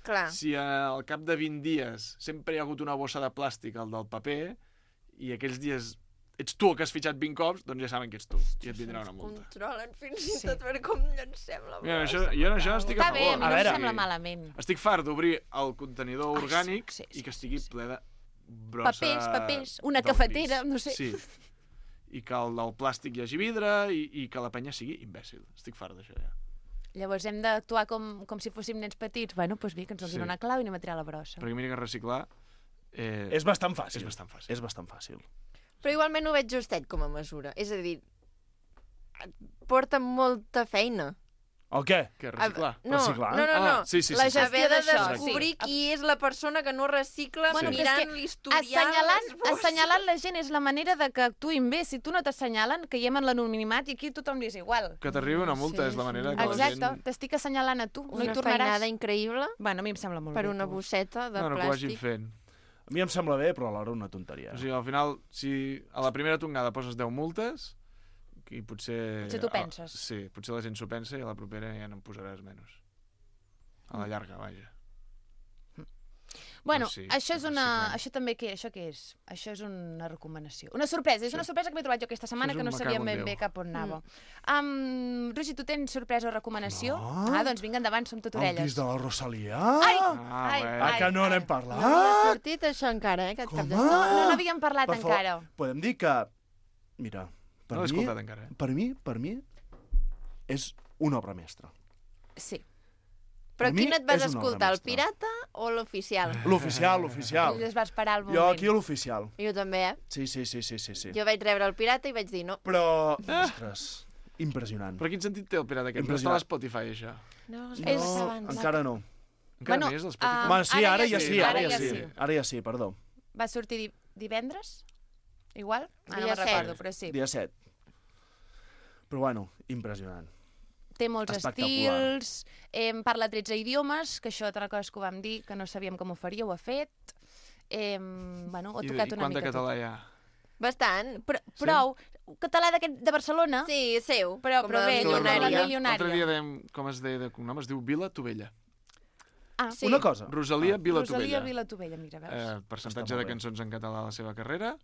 Clar. si al cap de vint dies sempre hi ha hagut una bossa de plàstic al del paper i aquells dies ets tu el que has fitxat vint cops, doncs ja saben que ets tu i et vindrà una multa. Controlen fins i Sí. tot per com llancem la brossa. Mira, això, jo en això estic Està a bé, favor. a mi A no em veure. sembla malament. Estic fart d'obrir el contenidor Ai, orgànic sí, sí, i que sí, estigui sí. ple de brossa... Papers, papers, una del cafetera, pis. no sé. Sí. I que el del plàstic hi hagi vidre i, i que la penya sigui imbècil. Estic fart d'això, ja. Llavors hem d'actuar com, com si fóssim nens petits. Bueno, doncs bé, que ens donin Sí. una clau i anem a tirar la brossa. Perquè mira que reciclar... Eh, És bastant fàcil. És bastant fàcil. És bastant fàcil. Però igualment ho veig justet com a mesura. És a dir, et porta molta feina. El què? Què, reciclar? No, Reciclar? no, no, no. Ah, sí, sí, sí, la sí. haver de d'això, descobrir sí. qui és la persona que no recicla Bueno, però és mirant que l'historial. Assenyalant, les bosses. assenyalant la gent és la manera de que actuïn bé. Si tu no t'assenyalen, caiem en l'anonimat i aquí tothom li és igual. Que t'arribi una multa Sí, és la manera sí. que Exacte, la gent... t'estic assenyalant a tu, no hi Una tornaràs. feinada increïble Bueno, a mi em sembla molt per bé. una tu. bosseta de No, no, que ho vagin plàstic. fent. A mi em sembla bé, però alhora una tonteria. O sigui, al final, si a la primera tongada poses deu multes, i potser... Potser tu penses. A, sí, potser la gent s'ho pensa i a la propera ja no en posaràs menys. A la llarga, vaja. Bueno, Doncs sí, això és una... reciclem. Això també què? Això què és? Això és una recomanació. Una sorpresa. És una sorpresa que m'he trobat jo aquesta setmana és que un no me sabia cago en ben Déu. bé cap on anava. Um, Rogi, tu tens sorpresa o recomanació? No. Ah, doncs vinga, endavant, som tot El orelles. disc de la Rosalia? Ai! Ah, ai, bueno. Ah, que no ai. n'hem No parlat? m'ha sortit això encara, eh, aquest cap de Com? setmana. No, no n'havíem parlat Per favor, encara. Podem dir que... Mira, per No l'he mi, escoltat encara, eh? per mi, per mi, és una obra mestra. Sí. Però Per mi quin et vas és una obra escoltar, el mestra. pirata o l'oficial? L'oficial, l'oficial. I es va esperar el moment. Jo aquí l'oficial. Jo també, eh? Sí, sí, sí, sí, sí, sí. Jo vaig rebre el pirata i vaig dir no. Però, ostres, impressionant. Però quin sentit té el pirata aquest? No està a Impressionant. l'Spotify, això? No, No, és abans. encara no. Encara Bueno, no hi és l'Spotify? ah, Bueno, sí, ara ara ja ja sí, sí, ara ara ja ja sí. sí. Ara ja sí, perdó. Va sortir di divendres? Igual? Ah, no Dia me'n set. recordo, però sí. Dia set. Però bueno, impressionant. Té molts Espectacular. estils, eh, parla tretze idiomes, que això altra cosa que ho vam dir, que no sabíem com ho faria, ho ha fet. Eh, bueno, ho ha I, tocat i una quant de mica català tot. hi ha? Bastant. Però, prou, català d'aquest de Barcelona? Sí, seu. Però- com però la bé, Que la- milionària. la l'altre- milionària. L'altre dia dèiem, com es deia de cognom, es diu Vila Tovella. Ah, Sí. Una cosa. Rosalia Vila Rosalia Tovella. Vila Tovella, mira, veus? Eh, percentatge Està de molt bé. cançons en català a la seva carrera?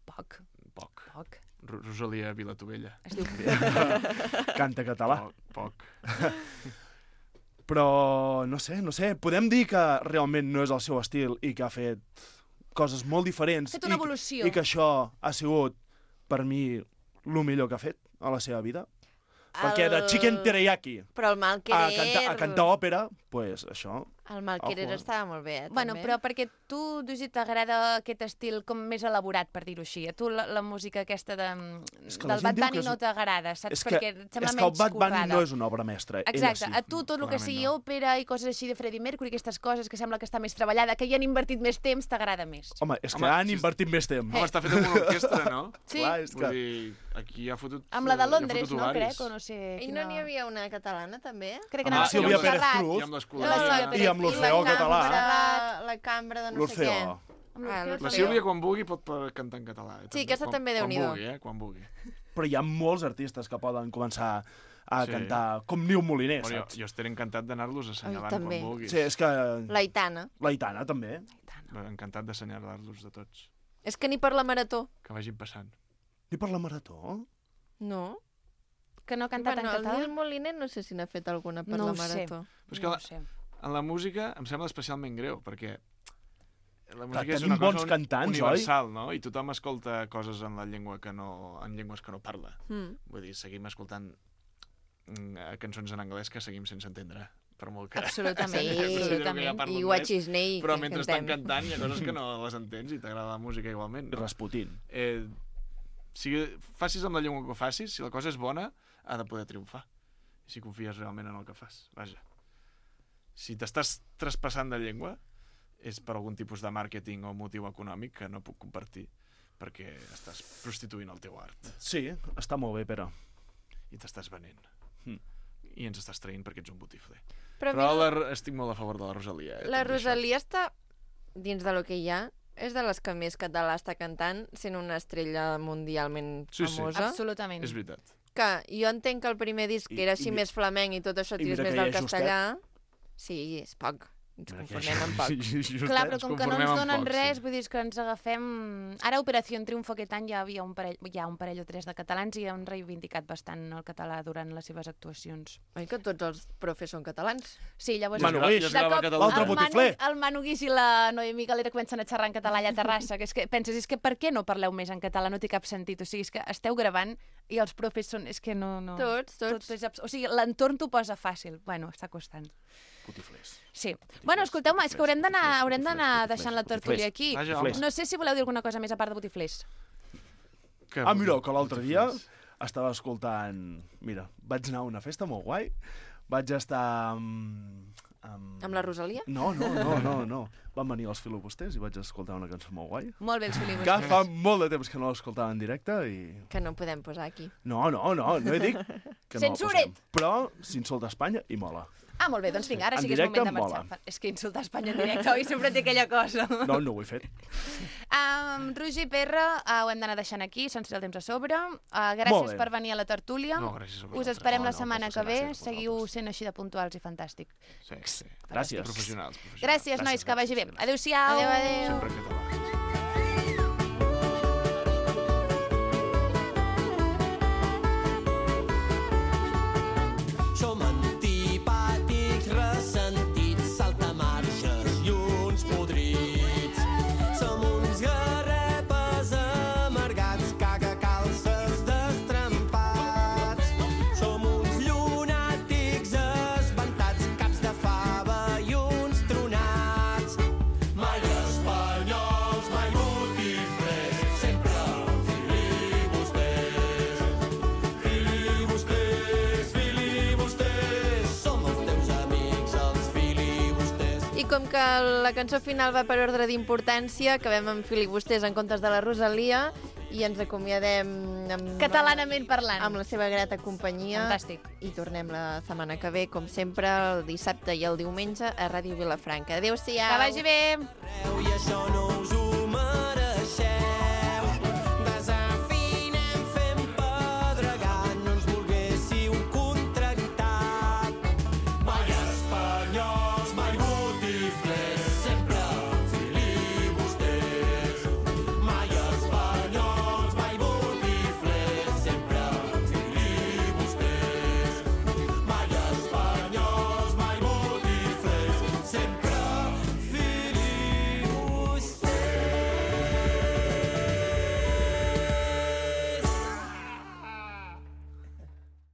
Poc, Poc. poc. Ro- Rosalia Vila Tovella. Es diu... Canta català. Poc, poc. Però, no sé, no sé, podem dir que realment no és el seu estil i que ha fet coses molt diferents. Ha fet una i, evolució. I que això ha sigut, per mi, el millor que ha fet a la seva vida. Perquè de Chicken Teriyaki Però el mal a querer... cantar, a cantar òpera, pues això... El Malquerer Ojo, eh? estava molt bé, eh, Bueno, també. però perquè tu, Dugi, t'agrada aquest estil com més elaborat, per dir-ho així. A tu la, la música aquesta de, que la del gent Bad diu Bunny que és- no t'agrada, saps? És que, perquè et sembla és que el menys Bad Bunny currada. no és una obra mestra. Exacte, Ella sí. a tu tot el que Clarament sigui no. òpera i coses així de Freddie Mercury, aquestes coses que sembla que està més treballada, que hi han invertit més temps, t'agrada més. Home, és que Home, han si- invertit més temps. Home, està fet amb una orquestra, no? Sí. Clar, és Vull que... dir, aquí ha fotut... Amb la de hi ha Londres, fotut no, ovaris. crec, o no sé... I quina- no n'hi havia una catalana, també? Crec que Amb anava la a ser Sílvia Montserrat. Pérez Cruz. I amb l'escolà. La Sílvia Pérez I amb Cruz. l'Orfeó I la català. cambra- La cambra de no sé què. L'Orfeó. Amb Ah, l'Orfeó. La Sílvia, quan vulgui, pot pa- cantar en català. Eh, Sí, també. aquesta Quan- també, Quan Déu-n'hi-do. vulgui, eh? Quan vulgui. Però hi ha molts artistes que poden començar a Sí. cantar com Niu Moliner, Bueno, jo, saps? jo estaré encantat d'anar-los assenyalant també. quan vulguis. Sí, és que... L'Aitana. L'Aitana, també. Encantat d'assenyalar-los de tots. És que ni per la marató. Que vagin passant. I per la marató? No. Que no ha cantat bueno, en català? el Nil Moliner no sé si n'ha fet alguna per No la ho sé. marató. Però és que No la, ho sé. en la música em sembla especialment greu, perquè la música Clar, és tenim una cosa bons un- cantants, universal, no? I tothom escolta coses en la llengua que no, en llengües que no parla. Mm. Vull dir, seguim escoltant mm, eh, cançons en anglès que seguim sense entendre. Per molt que... Absolutament, Sí, absolutament. que ja parlo I anglès, Guachisnei, Però que mentre cantem. estan cantant hi ha coses que no les entens i t'agrada la música igualment. I No? Rasputin. Eh, si facis amb la llengua que ho facis, si la cosa és bona, ha de poder triomfar. Si confies realment en el que fas. Vaja. Si t'estàs traspassant de llengua, és per algun tipus de màrqueting o motiu econòmic que no puc compartir, perquè estàs prostituint el teu art. Sí, està molt bé, però... I t'estàs venent. Mm. I ens estàs traient perquè ets un botifler. Però, Però mira, la, estic molt a favor de la Rosalia. Eh, la tot i això. Rosalia està, dins de lo que hi ha, és de les que més català està cantant, sent una estrella mundialment Sí, sí. famosa. Absolutament. És veritat. Que jo entenc que el primer disc I- que era així i mi- més flamenc i tot això i tires mira més que hi del ha castellà. Sí, és poc. Ens Mira que conformem amb poc. Justet. Clar, però ens com que no conformem ens amb donen poc, res, sí. vull dir que ens agafem... Ara a Operació Triunfo aquest any ja havia un parell, hi ha un parell o tres de catalans i han reivindicat bastant el català durant les seves actuacions. Oi que tots els profes són catalans? Sí, llavors... Manu I es gra- Guix, i es de grava a cop, Catalunya. l'altre el Manu, botifler. el Manu Guix i la Noemí Galera comencen a xerrar en català allà a Terrassa, que és que penses, és que per què no parleu més en català? No té cap sentit. O sigui, és que esteu gravant i els profes són... És que no... no... Tots, tots. Tot és abs... O sigui, l'entorn t'ho posa fàcil. Bueno, està costant. Botiflers. Sí. Bueno, escolteu-me, és que haurem d'anar haurem d'anar deixant la tertúlia aquí. Vaja, home. No sé si voleu dir alguna cosa més a part de botiflers. Que Ah, mira, que l'altre dia botiflers. estava escoltant... Mira, vaig anar a una festa molt guai, vaig estar amb... Amb, Amb la Rosalia? No, no, no, no, no. Van venir els filibusters i vaig escoltar una cançó molt guai. Molt bé, els Que filibusters. fa molt de temps que no l'escoltava en directe i... Que no podem posar aquí. No, no, no, no he dit que no la Censuret! posem. Però s'insulta Espanya i mola. Ah, molt bé, doncs vinga, ara En sí que és directe moment de em marxar. És que insultar Espanya en directe, oi? Sempre té aquella cosa. No, no ho he fet. Um, Roger i Perra, uh, ho hem d'anar deixant aquí, se'ns té el temps a sobre. Uh, Molt gràcies bé. per venir a la tertúlia. No, gràcies a Us vosaltres. esperem No, la no, setmana moltes que ve. gràcies a Seguiu vosaltres. sent així de puntuals i fantàstic. Sí, sí. Gràcies. Professionals, professionals. Gràcies, nois, que vagi bé. Adéu-siau. Adéu, adéu. Sempre en català. Som antipàtics, ressentits, saltamarges i uns podrits. Som uns garrepes amargats, cagacalces destrempats. Som uns llunàtics espantats, caps de fava i uns tronats. Mai espanyols, mai botiflers, sempre filibusters. Filibusters, filibusters, som els teus amics, els filibusters. I com que la cançó final va per ordre d'importància, acabem amb filibusters en comptes de la Rosalia i ens acomiadem amb, Catalanament parlant. amb la seva grata companyia. Fantàstic. I tornem la setmana que ve, com sempre, el dissabte i el diumenge a Ràdio Vilafranca. Adéu-siau. Que vagi bé. I això no us ho